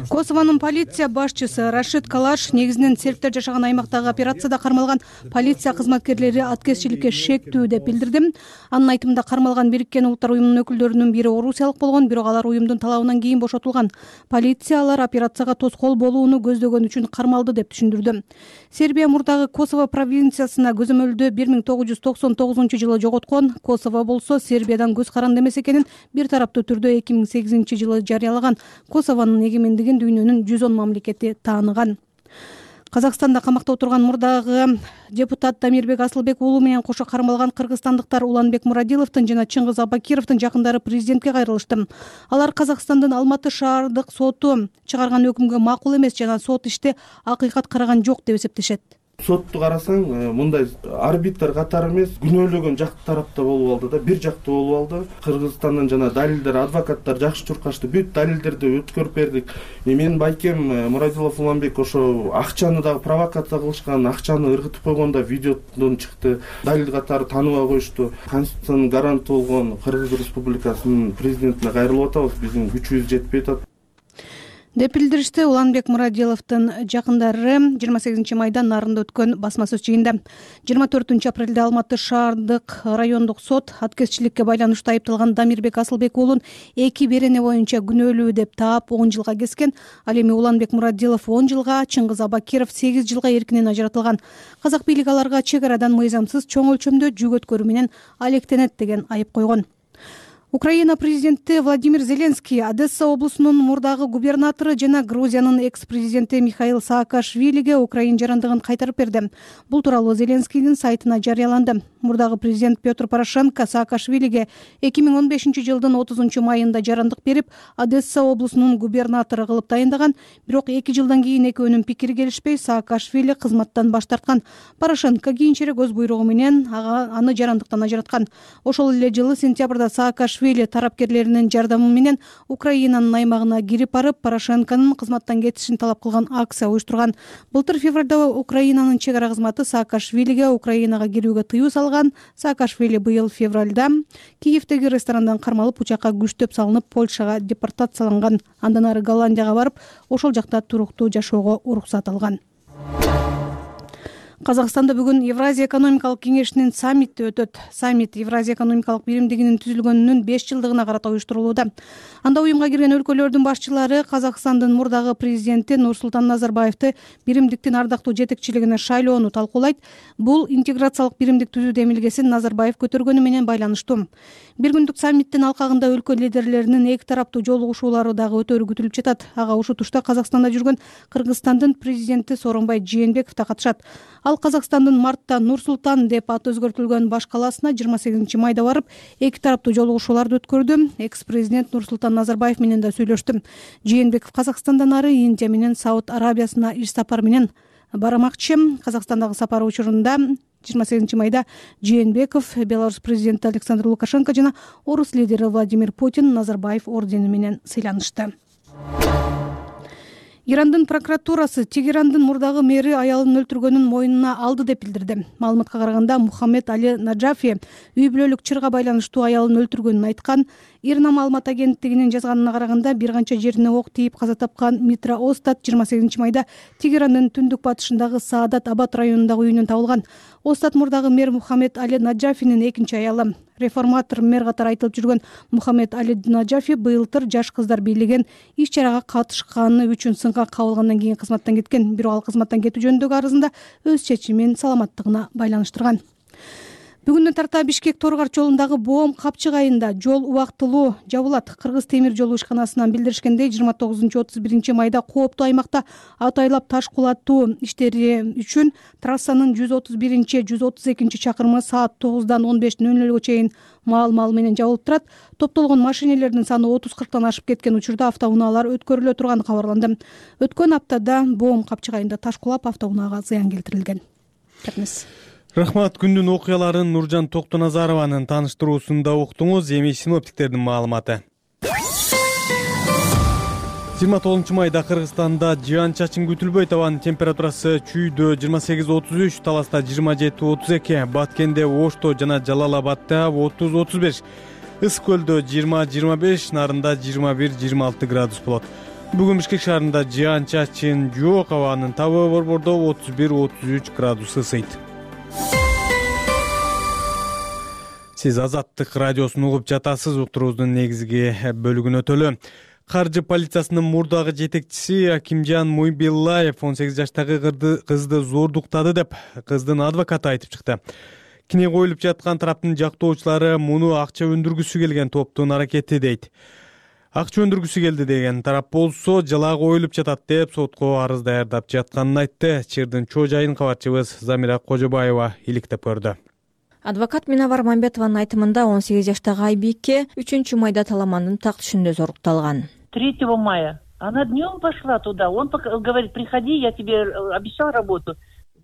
Косованын полиция башчысы Рашид Калаш негизинен сербтер жашаган аймактагы операцияда кармалган полиция кызматкерлери аткезчиликке шектүү деп билдирди. Анын айтымында кармалган Бириккен Улуттар уюмунун өкүлдөрүнүн бири орусиялык болгон, бирок алар уюмдун талабынан кийин бошотулган. Полиция алар операцияга тоскоол болууну көздөгөн үчүн кармалды деп түшүндүрдү. Сербия мурдагы Косово провинциясына көзөмөлдө 1999-жылы жоготкон. Косово болсо Сербиядан көз каранды эмес экенин бир тараптуу түрдө 2008-жылы жарыялаган. Косованын эгемендигин дүйнөнүн 110 мамлекети тааныган. Казакстанда камакта отурган мурдагы депутат Дамирбек Асылбек уулу менен кошо кармалган кыргызстандыктар Уланбек Мурадиловдун жана Чыңгыз Абакировдун жакындары президентке кайрылышты. Алар Казакстандын Алматы шаардык соту чыгарган өкүмгө макул эмес жана сот иште акыйкат караган жок деп эсептешет. Сотту карасаң, мындай арбитр катары эмес, күнөөлөгөн жак тарапта болуп алды да, бир жактуу болуп алды. Кыргызстандан жана далилдер, адвокаттар жакшы чуркашты, бүт далилдерди өткөрүп бердик. Менин байкем Мурадилов Уланбек ошо акчаны дагы провокация кылышкан, акчаны ыргытып койгондо видеодон чыкты. Далил катары тааныбай коюшту. Конституциянын гаранты болгон Кыргыз Республикасынын президентине кайрылып атабыз, биздин күчүбүз жетпей атат деп билдиришти Уланбек Мурадиловдун жакындары 28 майда Нарында өткөн басма сөз жыйында. 24 апрелде Алматы шаардык райондук сот аткезчиликке байланыштуу айыпталган Дамирбек Асылбек уулун 2 берене боюнча күнөөлүү деп таап 10 жылга кескен. Ал эми Уланбек Мурадилов 10 жылга, Чыңгыз Абакиров 8 жылга эркинен ажыратылган. Казак бийлиги аларга чек арадан мыйзамсыз чоң өлчөмдө жүк өткөрүү менен алектенет деген айып койгон. Украина президенти Владимир Зеленский Одесса облусунун мурдагы губернатору жана Грузиянын экс-президенти Михаил Саакашвилиге Украин жарандыгын кайтарып берди. Бул тууралуу Зеленскийдин сайтына жарыяланды. Мурдагы президент Петр Порошенко Саакашвилиге 2015-жылдын 30 майында жарандык берип, Одесса облусунун губернатору кылып тайындаган, бирок 2 жылдан кийин экөөнүн пикири келишпей, Саакашвили кызматтан баш тарткан. Порошенко кийинчерээк өз буйругу менен аны жарандыктан ажыраткан. Ошол эле жылы сентябрда Саакашвили тарапкерлеринин жардамы менен Украинанын аймагына кирип барып, Порошенконун кызматтан кетишин талап кылган акция уюштурган. Былтыр февралда Украинанын чек ара кызматы Саакашвилиге Украинага кирүүгө тыюу салган. жасаган. Саакашвили быйыл февралда Киевдеги ресторандан кармалып, учакка күчтөп салынып, Польшага депортацияланган. Андан ары Голландияга барып, ошол жакта туруктуу жашоого уруксат алган. Казакстанда бүгүн Евразия экономикалык кеңешинин саммити өтөт. Саммит Евразия экономикалык биримдигинин түзүлгөнүнүн 5 жылдыгына карата уюштурулууда. Анда уюмга кирген өлкөлөрдүн башчылары Казакстандын мурдагы президенти Нурсултан Назарбаевди биримдиктин ардактуу жетекчилигине шайлоону талкуулайт. Бул интеграциялык биримдик түзүү демилгесин Назарбаев көтөргөнү менен байланыштуу. Бир күндүк саммиттин алкагында өлкө лидерлеринин эки тараптуу жолугушуулары дагы өтөрү күтүлүп жатат. Ага ушутушта Казакстанда жүргөн Кыргызстандын президенти Сооронбай Жээнбеков да катышат. Ал Казакстандын мартта Нур-Султан деп аты өзгөртүлгөн баш калаасына 28 майда барып, эки тараптуу жолугушууларды өткөрдү. Экс-президент Нурсултан Назарбаев менен да сүйлөштү. Жээнбеков Казакстандан ары Индия менен Сауд Арабиясына иш сапар менен бармакчы. Казакстандагы сапары учурунда 28 майда Жээнбеков Беларусь президенти Александр Лукашенко жана орус лидери Владимир Путин Назарбаев ордени менен сыйланышты. Ирандын прокуратурасы Тегерандын мурдагы мэри аялын өлтүргөнүн мойнуна алды деп билдирди. Маалыматка караганда Мухаммед Али Наджафи үй бүлөлүк чырга байланыштуу аялын өлтүргөнүн айткан. Ирна маалымат агенттигинин жазганына караганда бир канча жерине ок тийип каза тапкан Митра Остат 28 майда Тегерандын түндүк батышындагы Саадат Абад районундагы үйүнөн табылган. Остат мурдагы мэр Мухаммед Али Наджафинин экинчи аялы. Реформатор мэр катары айтылып жүргөн Мухаммед Али Наджафи быйылтыр жаш кыздар бийлеген иш чарага катышканы үчүн сынга кабылгандан кийин кызматтан кеткен. Бирок ал кызматтан кетүү жөнүндөгү арызында өз чечимин саламаттыгына байланыштырган. Бүгүндөн тарта Бишкек Торгарч жолундагы Боом Капчык айында жол убактылуу жабылат. Кыргыз темир жолу ишканасынан билдиришкендей 29-31 майда кооптуу аймакта атайлап таш кулатуу иштери үчүн трассанын 131-132 чакырымы саат 9-дан 15:00 чейин маал менен жабылып турат. Топтолгон машинелердин саны 30-40тан ашып кеткен учурда автоунаалар өткөрүлө турганы кабарланды. Өткөн аптада Боом Капчык айында таш кулап автоунаага зыян келтирилген. Рахмат. Күндүн окуяларын Нуржан Токтоназарованын тааныштыруусунда уктуңуз. Эми синоптиктердин маалыматы. 29 майда Кыргызстанда жаан-чачын күтүлбөйт. Абанын температурасы Чүйдө 28-33, Таласта 27-32, Баткенде, Ошто жана Жалал-Абадда 30-35, Ысык көлдө 20-25, Нарында 21-26 градус болот. Бүгүн Бишкек шаарында жаан-чачын жок, абанын табы Борбордо 31-33 градус ысыйт. Сиз Азаттык радиосун угуп жатасыз. Уктуруубуздун негизги бөлүгүнө өтөлү. Каржы полициясынын мурдагы жетекчиси Акимжан Муйбиллаев 18 жаштагы кызды зордуктады деп кыздын адвокаты айтып чыкты. Кине коюлуп жаткан тараптын жактоочулары муну акча өндүргүсү келген топтун аракети дейт. Акча өндүргүсү келди деген тарап болсо жала коюлуп жатат деп сотко арыз даярдап жатканын айтты. Чырдын чоо жайын кабарчыбыз Замира Кожобаева иликтеп көрдү. Адвокат Минавар Мамбетованын айтымында 18 жаштагы Айбике 3 майда Таламандын так түшүндө зорукталган. 3 мая. Она днем пошла туда. Он говорит, приходи, я тебе обещал работу.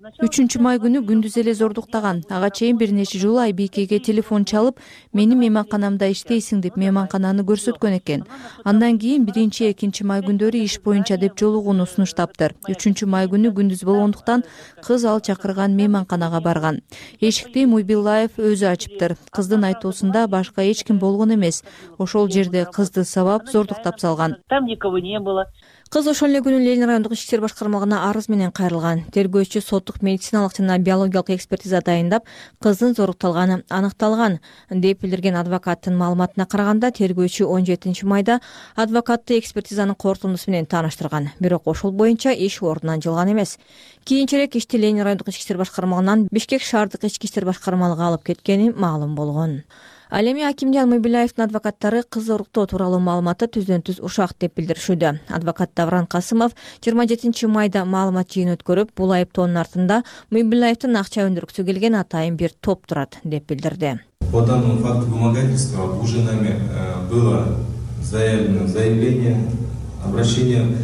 3 май күнү күндүз эле зордуктаган. Ага чейин бир нече жолу Айбикеге телефон чалып, мени мейманканамда иштейсиң деп мейманкананы көрсөткөн экен. Андан кийин 1-2 май күндөрү иш боюнча деп жолугууну сунуштаптыр. 3 май күнү күндүз болгондуктан кыз ал чакырган мейманканага барган. Эшикти Муйбиллаев өзү ачыптыр. Кыздын айтуусунда башка эч ким болгон эмес. Ошол жерде кызды сабап зордуктап салган. Там никого не было. Кыз ошол эле күнү Ленин райондук ички иштер башкармалыгына арыз менен кайрылган. Тергөөчү соттук медициналык жана биологиялык экспертиза дайындап, кыздын зорукталганы аныкталган деп билдирген адвокаттын маалыматына караганда, тергөөчү 17 майда адвокатты экспертизанын корутундусу менен тааныштырган. Бирок ошол боюнча иш ордунан жылган эмес. Кийинчерээк ишти Ленин райондук ички иштер башкармалыгынан Бишкек шаардык ички иштер башкармалыгына алып кеткени маалым болгон. Ал эми Акимжан Муйбиллаевдин адвокаттары кыз зоруктоо тууралуу маалыматты түздөн-түз ушак деп билдиришүүдө. Адвокат Давран Касымов 27 майда маалымат жыйын өткөрүп, бул айыптоонун артында Муйбиллаевдин акча өндүргүсү келген атайын бир топ турат деп билдирди. По данному факту вымогательства уже нами было заявлено заявление, обращение.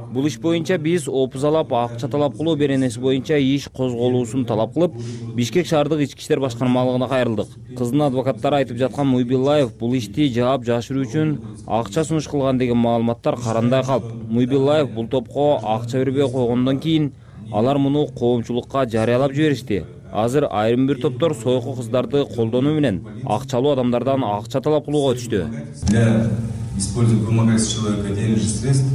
Бул иш боюнча биз опузалап, акча талап кылуу беренеси боюнча иш козголуусун талап кылып, Бишкек шаардык ички иштер башкармалыгына кайрылдык. Кыздын адвокаттары айтып жаткан Муйбиллаев бул ишти жаап жашыруу үчүн акча сунуш кылган деген маалыматтар карандай калп. Муйбиллаев бул топко акча бербей койгондон кийин алар муну коомчулукка жарыялап жиберишти. Азыр айрым бир топтор сойку кыздарды колдонуу менен акчалуу адамдардан акча талап кылууга өтүштү. Для использования вымогательств человека денежных средств.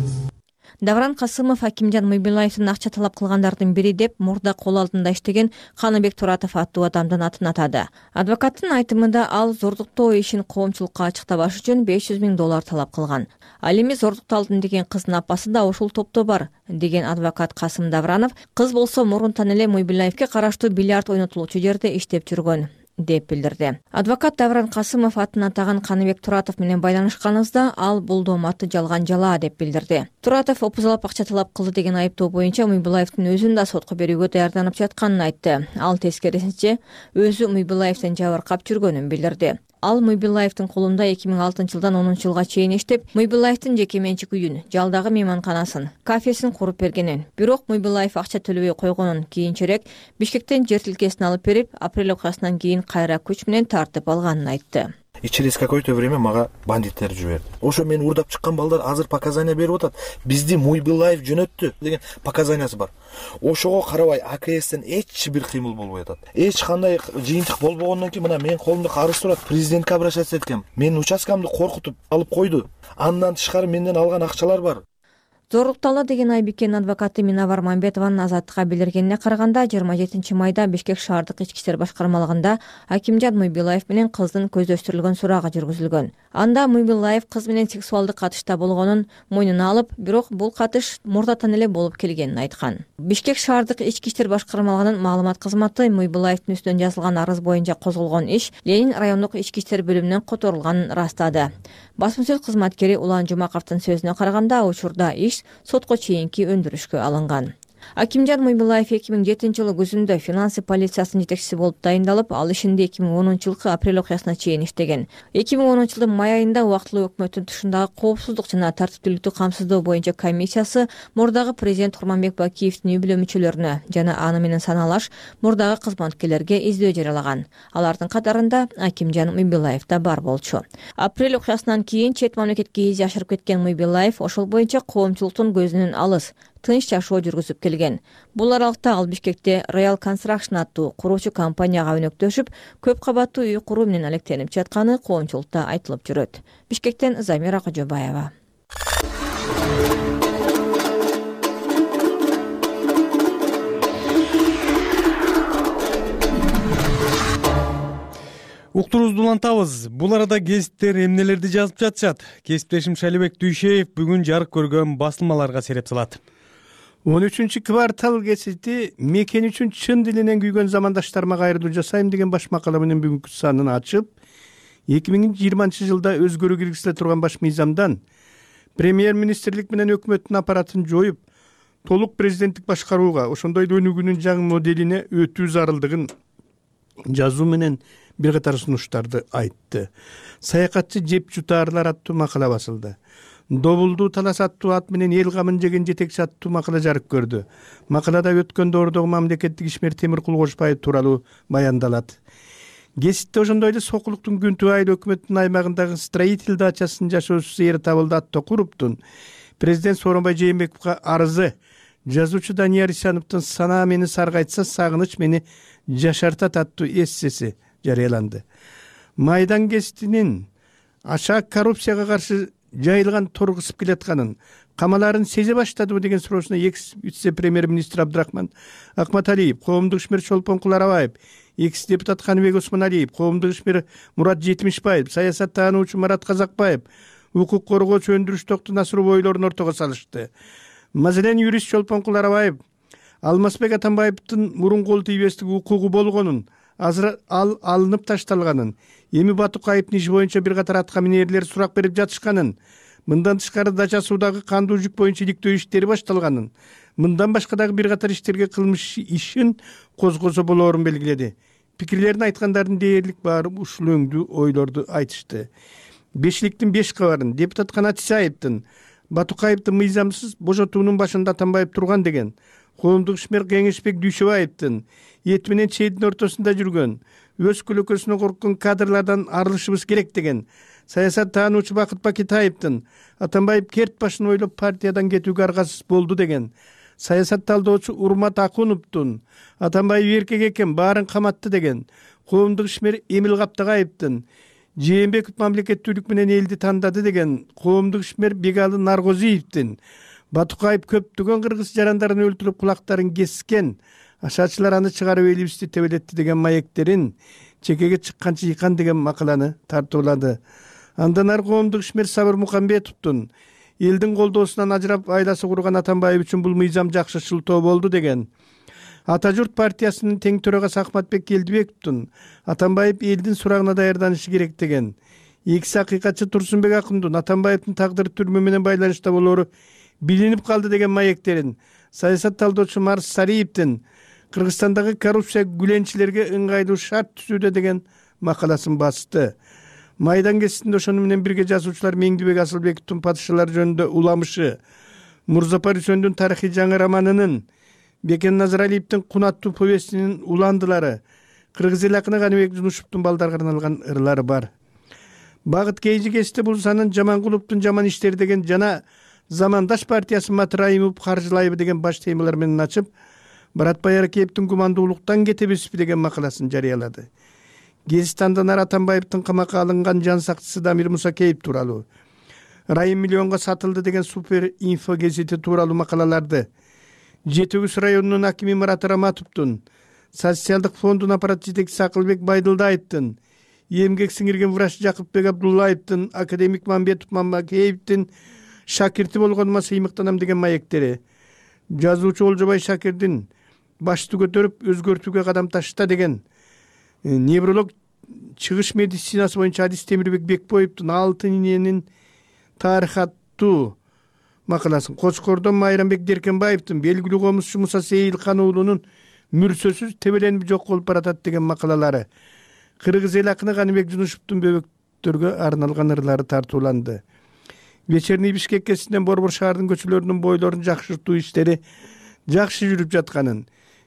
Давран Касымов Акимжан Муйбилаевдин акча талап кылгандардын бири деп мурда кол алдында иштеген Каныбек Туратов аттуу адамдын атын атады. Адвокаттын айтымында ал зордуктоо ишин коомчулукка ачыктабаш үчүн $500 000 талап кылган. Ал эми зордукталдым деген кыздын апасы да ошол топто бар деген адвокат Касым Давранов, кыз болсо мурунтан эле Муйбилаевге караштуу бильярд ойнотулуучу жерде иштеп жүргөн деп билдирди. Адвокат Давран Касымов атын атаган Каныбек Туратов менен байланышканыбызда ал бул дооматты жалган жала деп билдирди. Туратов опузалап акча талап кылды деген айыптоо боюнча Муйбилаевдин өзүн да сотко берүүгө даярданып жатканын айтты. Ал тескерисинче өзү Муйбилаевден жабыркап жүргөнүн билдирди. Ал Муйбилаевдин колунда 2006 жылдан 10 жылга чейин иштеп, Муйбилаевдин жеке менчик үйүн, жалдагы мейманканасын, кафесин куруп бергенин. Бирок Муйбилаев акча төлөбөй койгонун кийинчерээк Бишкектен жер тилкесин алып берип, апрель окуясынан кийин кайра күч менен тартып алганын айтты. И через какое-то время мага бандиттер жиберди. Ошо мени урдап чыккан балдар азыр показания берип атат. Бизди Муйбилаев жөнөттү деген показаниясы бар. Ошого карабай АКСтен эч бир кыймыл болбой атат. Эч кандай жыйынтык болбогондон кийин мына менин колумда арыз турат. Президентке обращаться эткем. Менин участкамды коркутуп алып койду. Андан тышкары менден алган акчалар бар. Зорлукталды деген Айбикенин адвокаты Минавар Мамбетованын Азаттыкка билдиргенине караганда 27 майда Бишкек шаардык ички иштер башкармалыгында Акимжан Муйбилаев менен кыздын көздөштүрүлгөн сурагы жүргүзүлгөн. Анда Муйбилаев кыз менен сексуалдык катышта болгонун мойнуна алып, бирок бул катыш мурдатан эле болуп келгенин айткан. Бишкек шаардык ички иштер башкармалыгынын маалымат кызматы Муйбилаевдин үстүнөн жазылган арыз боюнча козголгон иш Ленин райондук ички иштер бөлүмүнөн которулганын ырастады. Басма сөз кызматкери Улан Жумаковдун сөзүнө караганда, учурда иш сотко чейинки өндүрүшкө алынган. Акимжан Муйбилаев 2007 жылы күзүндө финансы полициясынын жетекчиси болуп дайындалып, ал ишинде 2010 жылкы апрель окуясына чейин иштеген. 2010 жылдын май айында убактылуу өкмөттүн тушундагы коопсуздук жана тартиптүүлүктү камсыздоо боюнча комиссиясы мурдагы президент Курманбек Бакиевдин үй бүлө мүчөлөрүнө жана аны менен саналаш мурдагы кызматкерлерге издөө жарыялаган. Алардын катарында Акимжан Муйбилаев да бар болчу. Апрель окуясынан кийин чет мамлекетке изи ашырып кеткен Муйбилаев ошол боюнча коомчулуктун көзүнөн алыс, тынч жашоо жүргүзүп келген. Бул аралыкта ал Бишкекте Royal Construction аттуу куруучу компанияга өнөктөшүп, көп кабаттуу үй куруу менен алектенип жатканы коомчулукта айтылып жүрөт. Бишкектен Замира Кожобаева. Уктуруубузду улантабыз. Бул арада кесиптер эмнелерди жазып жатышат? Кесиптешим Шалибек Дүйшеев бүгүн жарык көргөн басылмаларга сереп салат. 13 квартал кесити мекен үчүн чын дилинен күйгөн замандаштарыма кайрылуу жасайм деген баш макала менен бүгүнкү санын ачып, 2020 жылда өзгөрүү киргизиле турган баш мыйзамдан премьер-министрлик менен өкмөттүн аппаратын жоюп, толук президенттик башкарууга, ошондой эле өнүгүүнүн жаңы моделине өтүү зарылдыгын жазуу менен бир катар сунуштарды айтты. Саякатчы жеп жутаарлар аттуу макала басылды. Добулдуу талас аттуу ат менен эл камын жеген жетекчи аттуу макала жарык көрдү. Макалада өткөн доордогу мамлекеттик ишмер Темир Кулгошбаев тууралуу баяндалат. Кесипте ошондой эле Сокулуктун Күнтүү айыл өкмөттүн аймагындагы строитель дачасынын жашоочусу Эр Табылды аттуу Куруптун президент Сооронбай Жээнбековго арызы, жазуучу Данияр Исяновдун Санаа мени саргайтса, сагыныч мени жашартат аттуу эссеси жарыяланды. Майдан кеситинин аша коррупцияга каршы жайылган тор кысып келатканын, камаларын сезе баштадыбы деген суроосуна экс-вице-премьер-министр Абдрахман Акматалиев, коомдук ишмер Чолпон Куларабаев, экс-депутат Каныбек Осмоналиев, коомдук ишмер Мурат Жетимишбаев, саясаттануучу Марат Казакбаев, укук коргоочу Өндүрүш Токтунасыров ойлорун ортого салышты. Маселен, юрист Чолпон Куларабаев Алмазбек Атамбаевдин мурун кол тийбестик укугу болгонун, азыр ал алынып ташталганын, эми Батукаевдин иши боюнча бир катар атка минерлер сурак берип жатышканын, мындан тышкары дача суудагы кандуу жүк боюнча иликтөө иштери башталганын, мындан башка дагы бир катар иштерге кылмыш ишин козгосо болоорун белгиледи. Пикирлерин айткандардын дээрлик баары ушул өңдүү ойлорду айтышты. Бешликтин 5 кабарын депутат Канат Исаевдин Батукаевди мыйзамсыз божотуунун башында Атамбаев турган деген, коомдук ишмер Кеңешбек Дүйшөбаевдин эт менен чейдин ортосунда жүргөн, өз көлөкөсүнө корккон кадрлардан арылышыбыз керек деген, саясаттануучу Бакыт Бакетаевдин Атамбаев керт башын ойлоп партиядан кетүүгө аргасыз болду деген, саясат талдоочу Урмат Акуновдун Атамбаев эркек экен, баарын каматты деген, коомдук ишмер Эмил Каптагаевдин Жээнбеков мамлекеттүүлүк менен элди тандады деген, коомдук ишмер Бегалы Наргозиевдин Батукаев көптөгөн кыргыз жарандарын өлтүрүп кулактарын кескен, ашаачылар аны чыгарып элибизди тебелетти деген маектерин чекеге чыкканча ыйкан деген макаланы тартуулады. Андан ары коомдук ишмер Сабыр Мукамбетовдун элдин колдоосунан ажырап айласы курган Атамбаев үчүн бул мыйзам жакшы шылтоо болду деген, Ата журт партиясынын тең төрагасы Ахматбек Келдибековдун Атамбаев элдин сурагына даярданышы керек деген, экиси акыйкатчы Турсунбек Акундун Атамбаевдин тагдыры түрмө менен байланышта болору билинип калды деген маектерин, саясат талдоочу Марс Сариевдин Кыргызстандагы коррупция гүленчилерге ыңгайлуу шарт түзүүдө деген макаласын басты. Майдан кесисинде ошону менен бирге жазуучулар Меңдибек Асылбековдун Падышалар жөнүндө уламышы, Мурзапар Үсөндүн тарыхый жаңы романынын, Бекен Назаралиевдин Кун аттуу повестинин уландылары, кыргыз эл акыны Каныбек Жунушевдун балдарга арналган ырлары бар. Багыт Кейжи кесте бул санын Жаманкуловдун Жаман иштери деген жана Замандаш партиясы Матраимов каржылайбы деген баш темалар менен ачып, Баратбай Аракеевдин Кумандуулуктан кетебизби деген макаласын жарыялады. Гезит андан ары Атамбаевдин камакка алынган жан сакчысы Дамир Мусакеев тууралуу, Райым миллионго сатылды деген Супер инфо гезити тууралуу макалаларды, Жети Өгүз районунун акими Мурат Раматовдун, Социалдык фондун аппарат жетекчиси Акылбек Байдылдаевдин, эмгек сиңирген врач Жакыпбек Абдуллаевдин, академик Мамбетов Мамакеевдин шакирти болгонума сыймыктанам деген маектери, жазуучу Олжобай Шакирдин башты көтөрүп өзгөртүүгө кадам ташта деген, невролог чыгыш медицинасы боюнча Адис Темирбек Бекбоевдун Алтын иненин тарыхы аттуу макаласын, Кочкордон Майрамбек Деркенбаевдин белгилүү комузчу Муса Сейилхан уулунун мүрсөсүз тебеленип жок болуп баратат деген макалалары, кыргыз эл акыны Каныбек Жунушевдун бөбөктөргө арналган ырлары тартууланды. Вечерний Бишкек кесинен Борбор шаардын көчөлөрүнүн бойлорун жакшыртуу иштери жакшы жүрүп жатканын,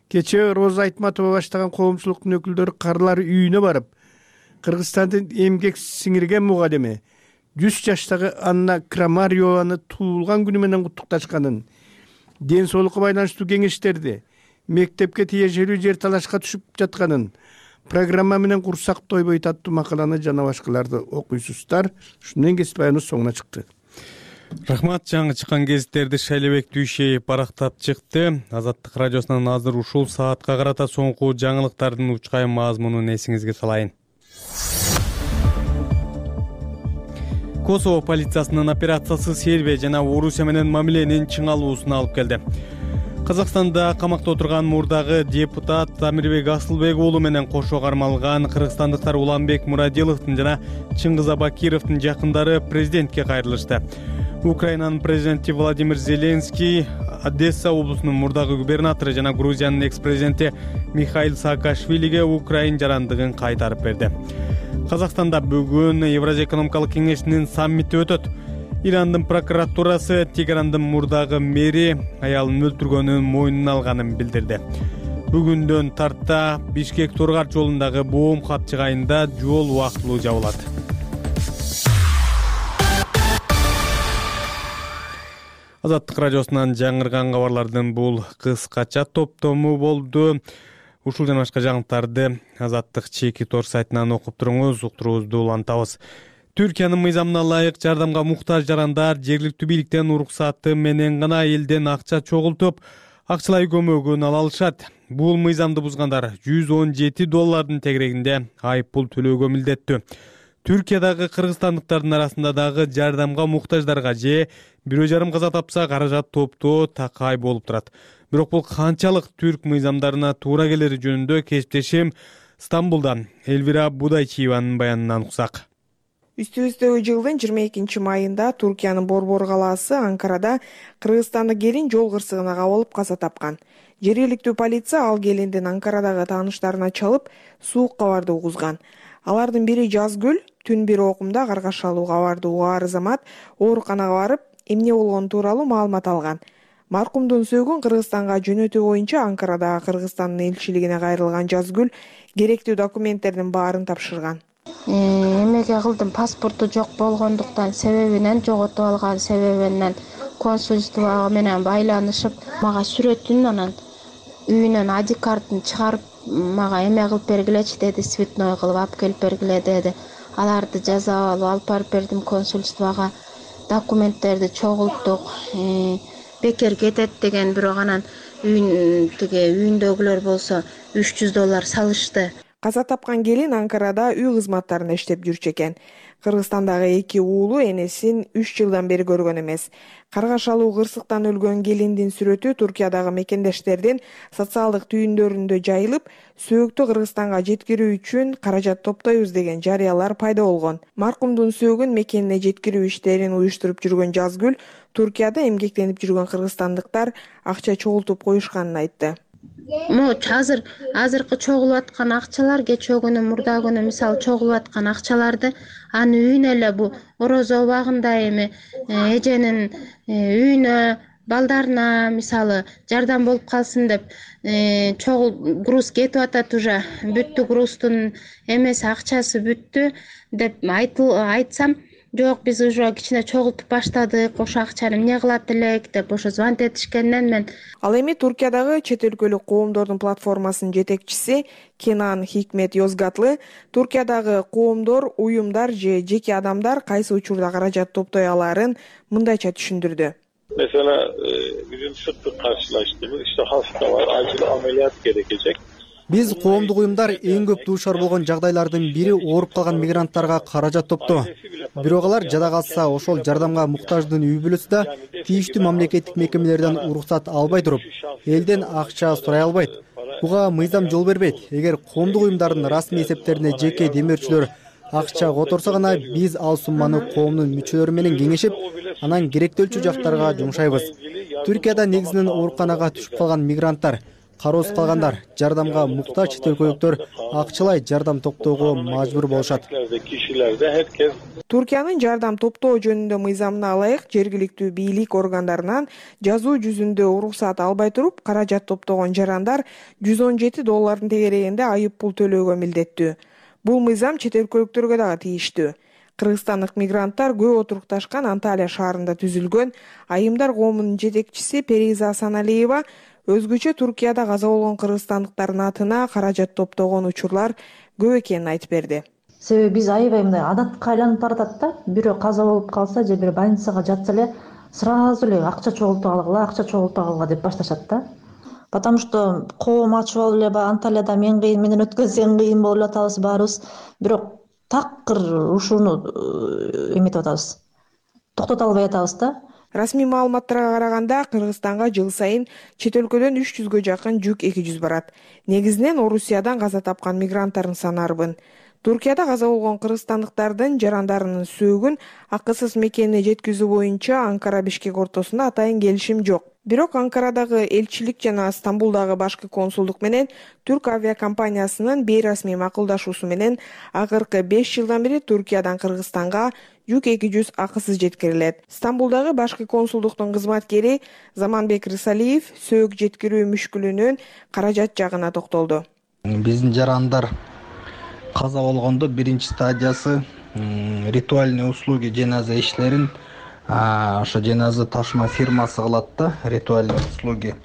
кечээ Роза Айтматова баштаган коомчулуктун өкүлдөрү карлар үйүнө барып, Кыргызстандын эмгек сиңирген мугалими 100 жаштагы Анна Крамарьеваны туулган күнү менен куттукташканын, ден соолукка байланыштуу кеңештерди, мектепке тиешелүү жер талашка түшүп жатканын, программа менен курсак тойбойт аттуу макаланы жана башкаларды окуйсуздар. Ушун менен кесип баяныбыз соңуна чыкты. Рахмат, жаңы чыккан гезиттерди Шайлебек Дүйшеев барактап чыкты. Азаттык радиосунан азыр ушул саатка карата соңку жаңылыктардын учкайым мазмунун эсиңизге салайын. Косово полициясынын операциясы Сербия жана Орусия менен мамиленин чыңалуусуна алып келди. Казакстанда камакта отурган мурдагы депутат Тамирбек Асылбек уулу менен кошо кармалган кыргызстандыктар Уланбек Мурадиловдун жана Чыңгыз Абакировдун жакындары президентке кайрылышты. Украинанын президенти Владимир Зеленский Одесса облусунун мурдагы губернатору жана Грузиянын экс-президенти Михаил Саакашвилиге Украин жарандыгын кайтарып берди. Казакстанда бүгүн Евразия экономикалык кеңешинин саммити өтөт. Ирандын прокуратурасы Тегерандын мурдагы мэри аялын өлтүргөнүн мойнуна алганын билдирди. Бүгүндөн тарта Бишкек Тургар жолундагы боом кат жыгайында жол убактылуу жабылат. Азаттык радиосунан жаңырган кабарлардын бул кыскача топтому болду. Ушул жана башка жаңылыктарды Азаттык чеки тор сайтынан окуп туруңуз, уктуруубузду улантабыз. Түркиянын мыйзамына ылайык жардамга муктаж жарандар жергиликтүү бийликтен уруксаты менен гана элден акча чогултуп, акчалай көмөгүн ала алышат. Бул мыйзамды бузгандар $117 тегерегинде айып пул төлөөгө милдеттүү. Түркиядагы кыргызстандыктардын арасында дагы жардамга муктаждарга же бирөө жарым каза тапса каражат топтоо такай болуп турат. Бирок бул канчалык түрк мыйзамдарына туура келери жөнүндө кесиптешим Стамбулдан Элвира Будайчиеванын баянынан уксак. Үстүбүздөгү жылдын 22 майында Туркиянын Борбор калаасы Анкарада кыргызстандык келин жол кырсыгына кабылып каза тапкан. Жергиликтүү полиция ал келиндин Анкарадагы тааныштарына чалып, суук кабарды угузган. Алардын бири Жазгүл түн бир окумда каргашалуу кабарды угаар замат ооруканага барып, эмне болгону тууралуу маалымат алган. Маркумдун сөөгүн Кыргызстанга жөнөтүү боюнча Анкарадагы Кыргызстандын элчилигине кайрылган Жазгүл керектүү документтердин баарын тапшырган. Эмеге кылдым, паспорту жок болгондуктан себебинен, жоготуп алган себебинен консульство менен байланышып мага сүрөтүн анан үйүнөн ID картын чыгарып мага эме кылып бергилечи деди, цветной кылып алып келип бергиле деди. Аларды жазап алып барып бердим консульствого. Документтерди чогулттук. Бекер кетет деген, бирок анан үйүндөгүлөр болсо $300 салышты. Каза тапкан келин Анкарада үй кызматтарында иштеп жүрчү экен. Кыргызстандагы 2 уулу энесин 3 жылдан бери көргөн эмес. Каргашалуу кырсыктан өлгөн келиндин сүрөтү Туркиядагы мекендештердин социалдык түйүндөрүндө жайылып, сөөктү Кыргызстанга жеткирүү үчүн каражат топтойбуз деген жарыялар пайда болгон. Маркумдун сөөгүн мекенине жеткирүү иштерин уюштуруп жүргөн Жазгүл Туркияда эмгектенип жүргөн кыргызстандыктар акча чогултуп коюшканын айтты. Азыркы чогулуп аткан акчалар, кечээ күнү, мурда күнү мисалы чогулуп аткан акчаларды аны үйүнө эле бу орозо убагында эми эженин үйүнө, балдарына мисалы жардам болуп калсын деп груз кетип атат, уже бүттү, груздун эмеси акчасы бүттү деп айтсам, жок, биз уже кичине чогултуп баштадык, ошо акчаны эмне кылат элек деп ошо звонить этишкенден мен. Ал эми Туркиядагы чет өлкөлүк коомдордун платформасынын жетекчиси Кенан Хикмет Йозгатлы Туркиядагы коомдор, уюмдар же жеке адамдар кайсы учурда каражат топтой алаарын мындайча түшүндүрдү. Mesela bizim sırtlık karşılaştığımız işte hastalar, acil ameliyat gerekecek. Биз коомдук уюмдар эң көп дуушар болгон жагдайлардын бири ооруп калган мигранттарга каражат топтоо. Бирок алар жада калса, ошол жардамга муктаждын үй бүлөсү да тийиштүү мамлекеттик мекемелерден уруксат албай туруп, элден акча сурай албайт. Буга мыйзам жол бербейт. Эгер коомдук уюмдардын расмий эсептерине жеке демөөрчүлөр акча которсо гана биз ал сумманы коомдун мүчөлөрү менен кеңешип, анан керектөлчү жактарга жумшайбыз. Түркияда негизинен ооруканага түшүп калган мигранттар, кароосуз калгандар, жардамга муктаж чет өлкөлүктөр акчалай жардам топтоого мажбур болушат. Туркиянын жардам топтоо жөнүндө мыйзамына ылайык жергиликтүү бийлик органдарынан жазуу жүзүндө уруксат албай туруп, каражат топтогон жарандар $117 тегерегинде айып пул төлөөгө милдеттүү. Бул мыйзам чет өлкөлүктөргө дагы тийиштүү. Кыргызстандык мигранттар көп отурукташкан Анталия шаарында түзүлгөн айымдар коомунун жетекчиси Периза Асаналиева өзгөчө Туркияда каза болгон кыргызстандыктардын атына каражат топтогон учурлар көп экенин айтып берди. Себеби биз аябай мындай адатка айланып баратат да. Бирөө каза болуп калса же бир больницага жатса эле сразу эле акча чогултуп алгыла деп башташат да. Потому что коом ачып алып эле Анталияда мен кыйын, менен өткөн сен кыйын болуп атабыз баарыбыз. Бирок такыр ушуну эметип атабыз. Токтото албай атабыз да. Расмий маалыматтарга караганда Кыргызстанга жыл сайын чет өлкөдөн 300гө жакын жүк 200 барат. Негизинен Орусиядан каза тапкан мигранттардын саны арбын. Туркияда каза болгон кыргызстандыктардын жарандарынын сөөгүн акысыз мекенине жеткизүү боюнча Анкара-Бишкек ортосунда атайын келишим жок. Бирок Анкарадагы элчилик жана Стамбулдагы башкы консулдук менен Түрк авиакомпаниясынын бейрасмий макулдашуусу менен акыркы 5 жылдан бери Туркиядан Кыргызстанга жүк 200 акысыз жеткирилет. Стамбулдагы башкы консулдуктун кызматкери Заманбек Рысалиев сөөк жеткирүү мүшкүлүнүн каражат жагына токтолду. Биздин жарандар каза болгондо биринчи стадиясы ритуальный услуги жаназа иштерин ошо жаназа ташыма фирмасы кылат да, ритуальный услуги.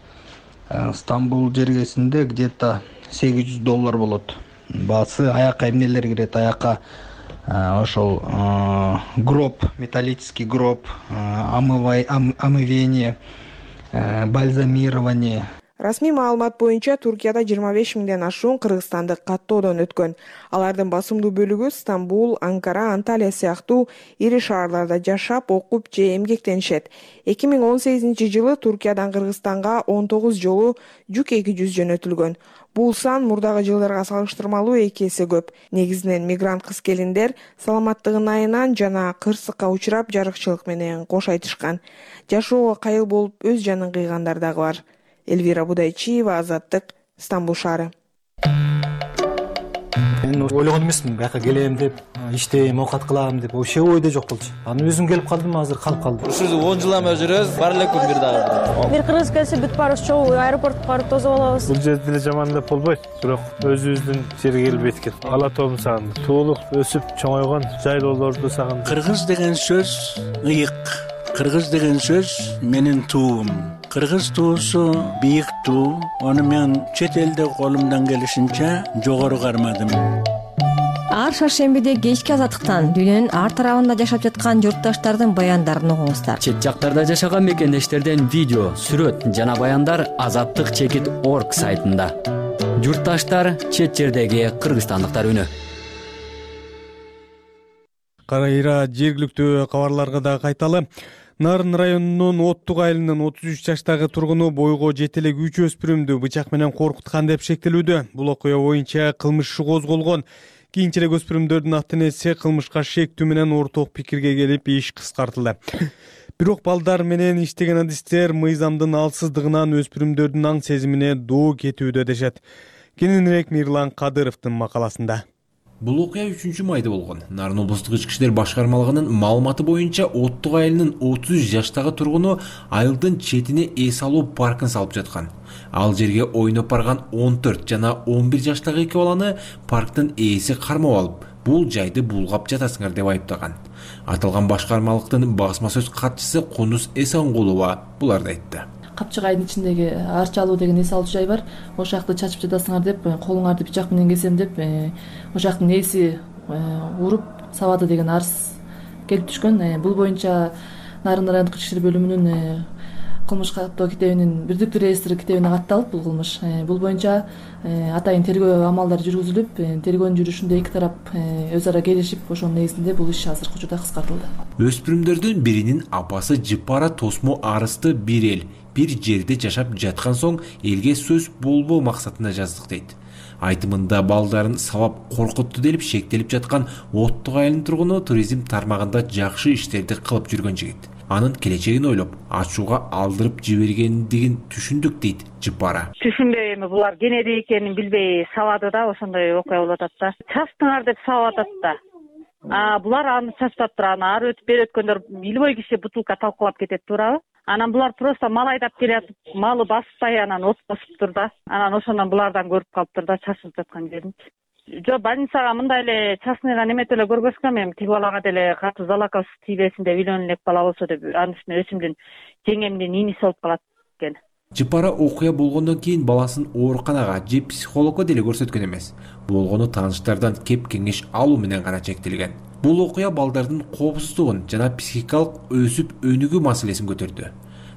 Стамбул жергесинде где-то $800 болот. Баасы аяка эмнелер кирет, аяка ошол гроб, металлический гроб, омывение, бальзамирование. Расмий маалымат боюнча Туркияда 25 миңден ашуун кыргызстандык каттоодон өткөн. Алардын басымдуу бөлүгү Стамбул, Анкара, Анталия сыяктуу ири шаарларда жашап, окуп же эмгектенишет. 2018 жылы Туркиядан Кыргызстанга 19 жолу жүк 200 жөнөтүлгөн. Бул сан мурдагы жылдарга салыштырмалуу 2 эсе көп. Негизинен мигрант кыз-келиндер саламаттыгын айынан жана кырсыкка учурап жарыкчылык менен кош айтышкан. Жашоого кайыл болуп өз жанын кыйгандар дагы бар. Эльвира Будайчиева, Азаттык, Стамбул шаары. Мен ойлогон эмесмин, бияка келем деп, иштейм, оокат кылам деп, вообще ойдо жок болчу. Анан өзүм келип калдым, азыр калып калдым. Ушул 10 жылдан бери жүрөбүз, бар эле күн бир дагы. Бир кыргыз келсе бүт баарыбыз чогуу аэропортко барып тосуп алабыз. Бул жерде деле жаман деп болбойт, бирок өзүбүздүн жерге келип эткет. Ала тоом сагындык, туулуп, өсүп, чоңойгон жайлоолорду сагындык. Кыргыз деген сөз ыйык. Кыргыз деген сөз менин туум. Кыргыз туусу бийик туу. Аны мен чет элде колумдан келишинче жогору кармадым. Ар шаршембиде кечки азаттыктан дүйнөнүн ар тарабында жашап жаткан журтташтардын баяндарын угуңуздар. Чет жактарда жашаган мекендештерден видео, сүрөт жана баяндар azattik.org сайтында. Журтташтар, чет жердеги кыргызстандыктар үнү. Кайра жергиликтүү кабарларга да кайталы. Нарын районунун Оттук айылынын 33 жаштагы тургуну бойго жете элек 3 өспүрүмдү бычак менен коркуткан деп шектелүүдө. Бул окуя боюнча кылмыш иши козголгон. Кийинчерээк өспүрүмдөрдүн ата энеси кылмышка шектүү менен орток пикирге келип иш кыскартылды. Бирок балдар менен иштеген адистер мыйзамдын алсыздыгынан өспүрүмдөрдүн аң сезимине доо кетүүдө дешет. Кененирээк Мирлан Кадыровдун макаласында. Бул окуя 3-майда болгон. Нарын облустук ички иштер башкармалыгынын маалыматы боюнча Оттук айылынын 33 жаштагы тургуну айылдын четине эс алуу паркын салып жаткан. Ал жерге ойноп барган 14 жана 11 жаштагы 2 баланы парктын ээси кармап алып, бул жайды булгап жатасыңар деп айыптаган. Аталган башкармалыктын басма сөз катчысы Кунус Эсенгулова буларды айтты. Капчык айдын ичиндеги Арчалуу деген эс алуу жай бар. Ошол жакты чачып жатасыңар деп, колуңарды бычак менен кесем деп, ошол жактын ээси уруп сабады деген арыз келип түшкөн. Бул боюнча Нарын райондук ички иштер бөлүмүнүн кылмыш каттоо китебинин бирдиктүү реестри китебине катталып бул кылмыш. Бул боюнча атайын тергөө амалдары жүргүзүлүп, тергөөнүн жүрүшүндө эки тарап өз ара келишип, ошонун негизинде бул иш азыркы учурда кыскартылды. Өспүрүмдөрдүн биринин апасы Жыпара Тосмо арызды бир эл бир жерде жашап жаткан соң элге сөз болбоо максатында жаздык дейт. Айтымында балдарын сабап коркутту делип шектелип жаткан Оттук айылынын тургуну туризм тармагында жакшы иштерди кылып жүргөн жигит. Анын келечегин ойлоп, ачууга алдырып жибергендигин түшүндүк дейт Жыпара. Түшүнбөй эми булар кенеди экенин билбей сабады да, ошондой окуя болуп атат да. Чачтыңар деп сабап атат да. Булар аны чачпаптыр, аны ары өтүп бери өткөндөр илбой киши бутылка талкалап кетет, туурабы? Анан булар просто мал айдап келатып, малы баспай анан от басыптыр да. Анан ошондон булардан көрүп калыптыр да чачылып жаткан жерин. Жок, больницага мындай эле частныйга немете эле көргөзгөм, эми тиги балага деле катуу залаков тийбесин деп, үйлөнө элек бала болсо деп, анын үстүнө өсүмдүн жеңемдин иниси болуп калат экен. Жыпара окуя болгондон кийин баласын ооруканага же психологко деле көрсөткөн эмес. Болгону тааныштардан кеп кеңеш алуу менен гана чектелген. Бул окуя балдардын коопсуздугун жана психикалык өсүп өнүгүү маселесин көтөрдү.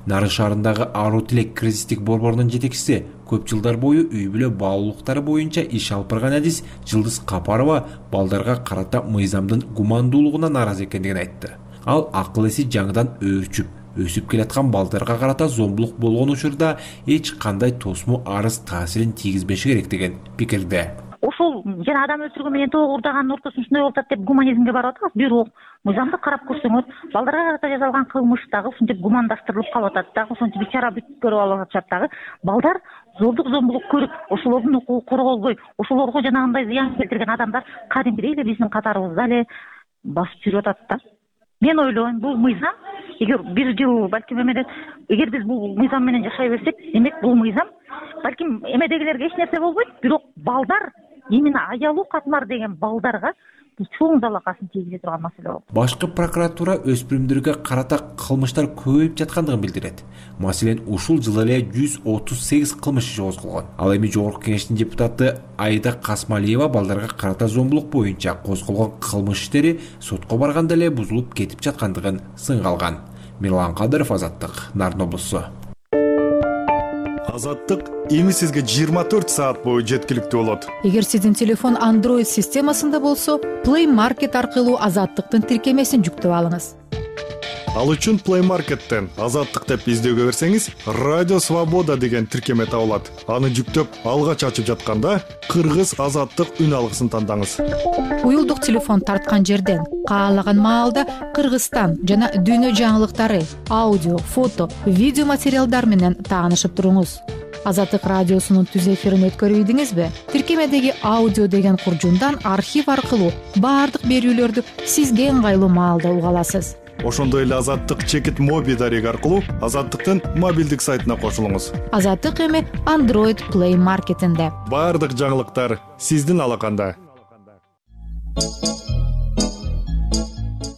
Нарын шаарындагы Аруу Тилек кризистик борборунун жетекчиси көп жылдар бою үй бүлө баалуулуктары боюнча иш алып барган адис Жылдыз Капарова балдарга карата мыйзамдын гумандуулугуна нааразы экендигин айтты. Ал акыл эси жаңыдан өөрчүп, өсүп келаткан балдарга карата зомбулук болгон учурда эч кандай тосмо арыз таасирин тийгизбеши керек деген пикирде. Ошол жана адам өлтүргөн менен тоо уурдаганын ортосунда ушундай болуп атат деп гуманизмге барып атабыз. Бирок мыйзамды карап көрсөңөр, балдарга карата жасалган кылмыш дагы ушинтип гумандаштырылып калып атат дагы, ошентип бечара бүт көрүп алып атышат дагы. Балдар зордук зомбулук көрүп, ошолордун укугу корголбой, ошолорго жанагындай зыян келтирген адамдар кадимгидей эле биздин катарыбызда эле басып жүрүп атат да. Мен ойлойм, бул мыйзам эгер бир жыл балким эмеден, эгер биз бул мыйзам менен жашай берсек, демек бул мыйзам балким эмедегилерге эч нерсе болбойт, бирок балдар именно аялуу катмар деген балдарга чоң залакасын тийгизе турган маселе болот. Башкы прокуратура өспүрүмдөргө карата кылмыштар көбөйүп жаткандыгын билдирет. Маселен, ушул жылы эле 138 кылмыш иши козголгон. Ал эми Жогорку Кеңештин депутаты Айда Касмалиева балдарга карата зомбулук боюнча козголгон кылмыш иштери сотко барганда эле бузулуп кетип жаткандыгын сынга алган. Мирлан Кадыров, Азаттык, Нарын облусу. Азаттык эми сизге 24 саат бою жеткиликтүү болот. Эгер сиздин телефон Android системасында болсо, Play Market аркылуу Азаттыктын тиркемесин жүктөп алыңыз. Ал үчүн Play Market'тен Азаттык деп издөөгө берсеңиз, Радио Свобода деген тиркеме табылат. Аны жүктөп, алгач ачып жатканда Кыргыз Азаттык үн алгысын тандаңыз. Уюлдук телефон тарткан жерден каалаган маалда Кыргызстан жана дүйнө жаңылыктары, аудио, фото, видео материалдар менен таанышып туруңуз. Азаттык радиосунун түз эфирин өткөрүп ийдиңизби? Тиркемедеги аудио деген куржундан архив аркылуу баардык берүүлөрдү сизге ыңгайлуу маалда уга аласыз. Ошондой эле Азаттык чекит моби дареги аркылуу Азаттыктын мобилдик сайтына кошулуңуз. Азаттык эми Android Play Market'инде. Баардык жаңылыктар сиздин алаканда.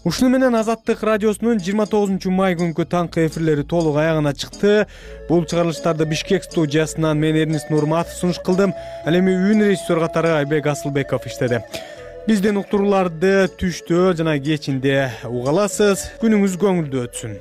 Ушуну менен Азаттык радиосунун 29 май күнкү таңкы эфирлери толук аягына чыкты. Бул чыгарылыштарды Бишкек студиясынан мен Эрнис Нурматов сунуш кылдым. Ал эми үн режиссер катары Айбек Асылбеков иштеди. Бизден уктурууларды түштө жана кечинде уга аласыз. Күнүңүз көңүлдүү өтсүн.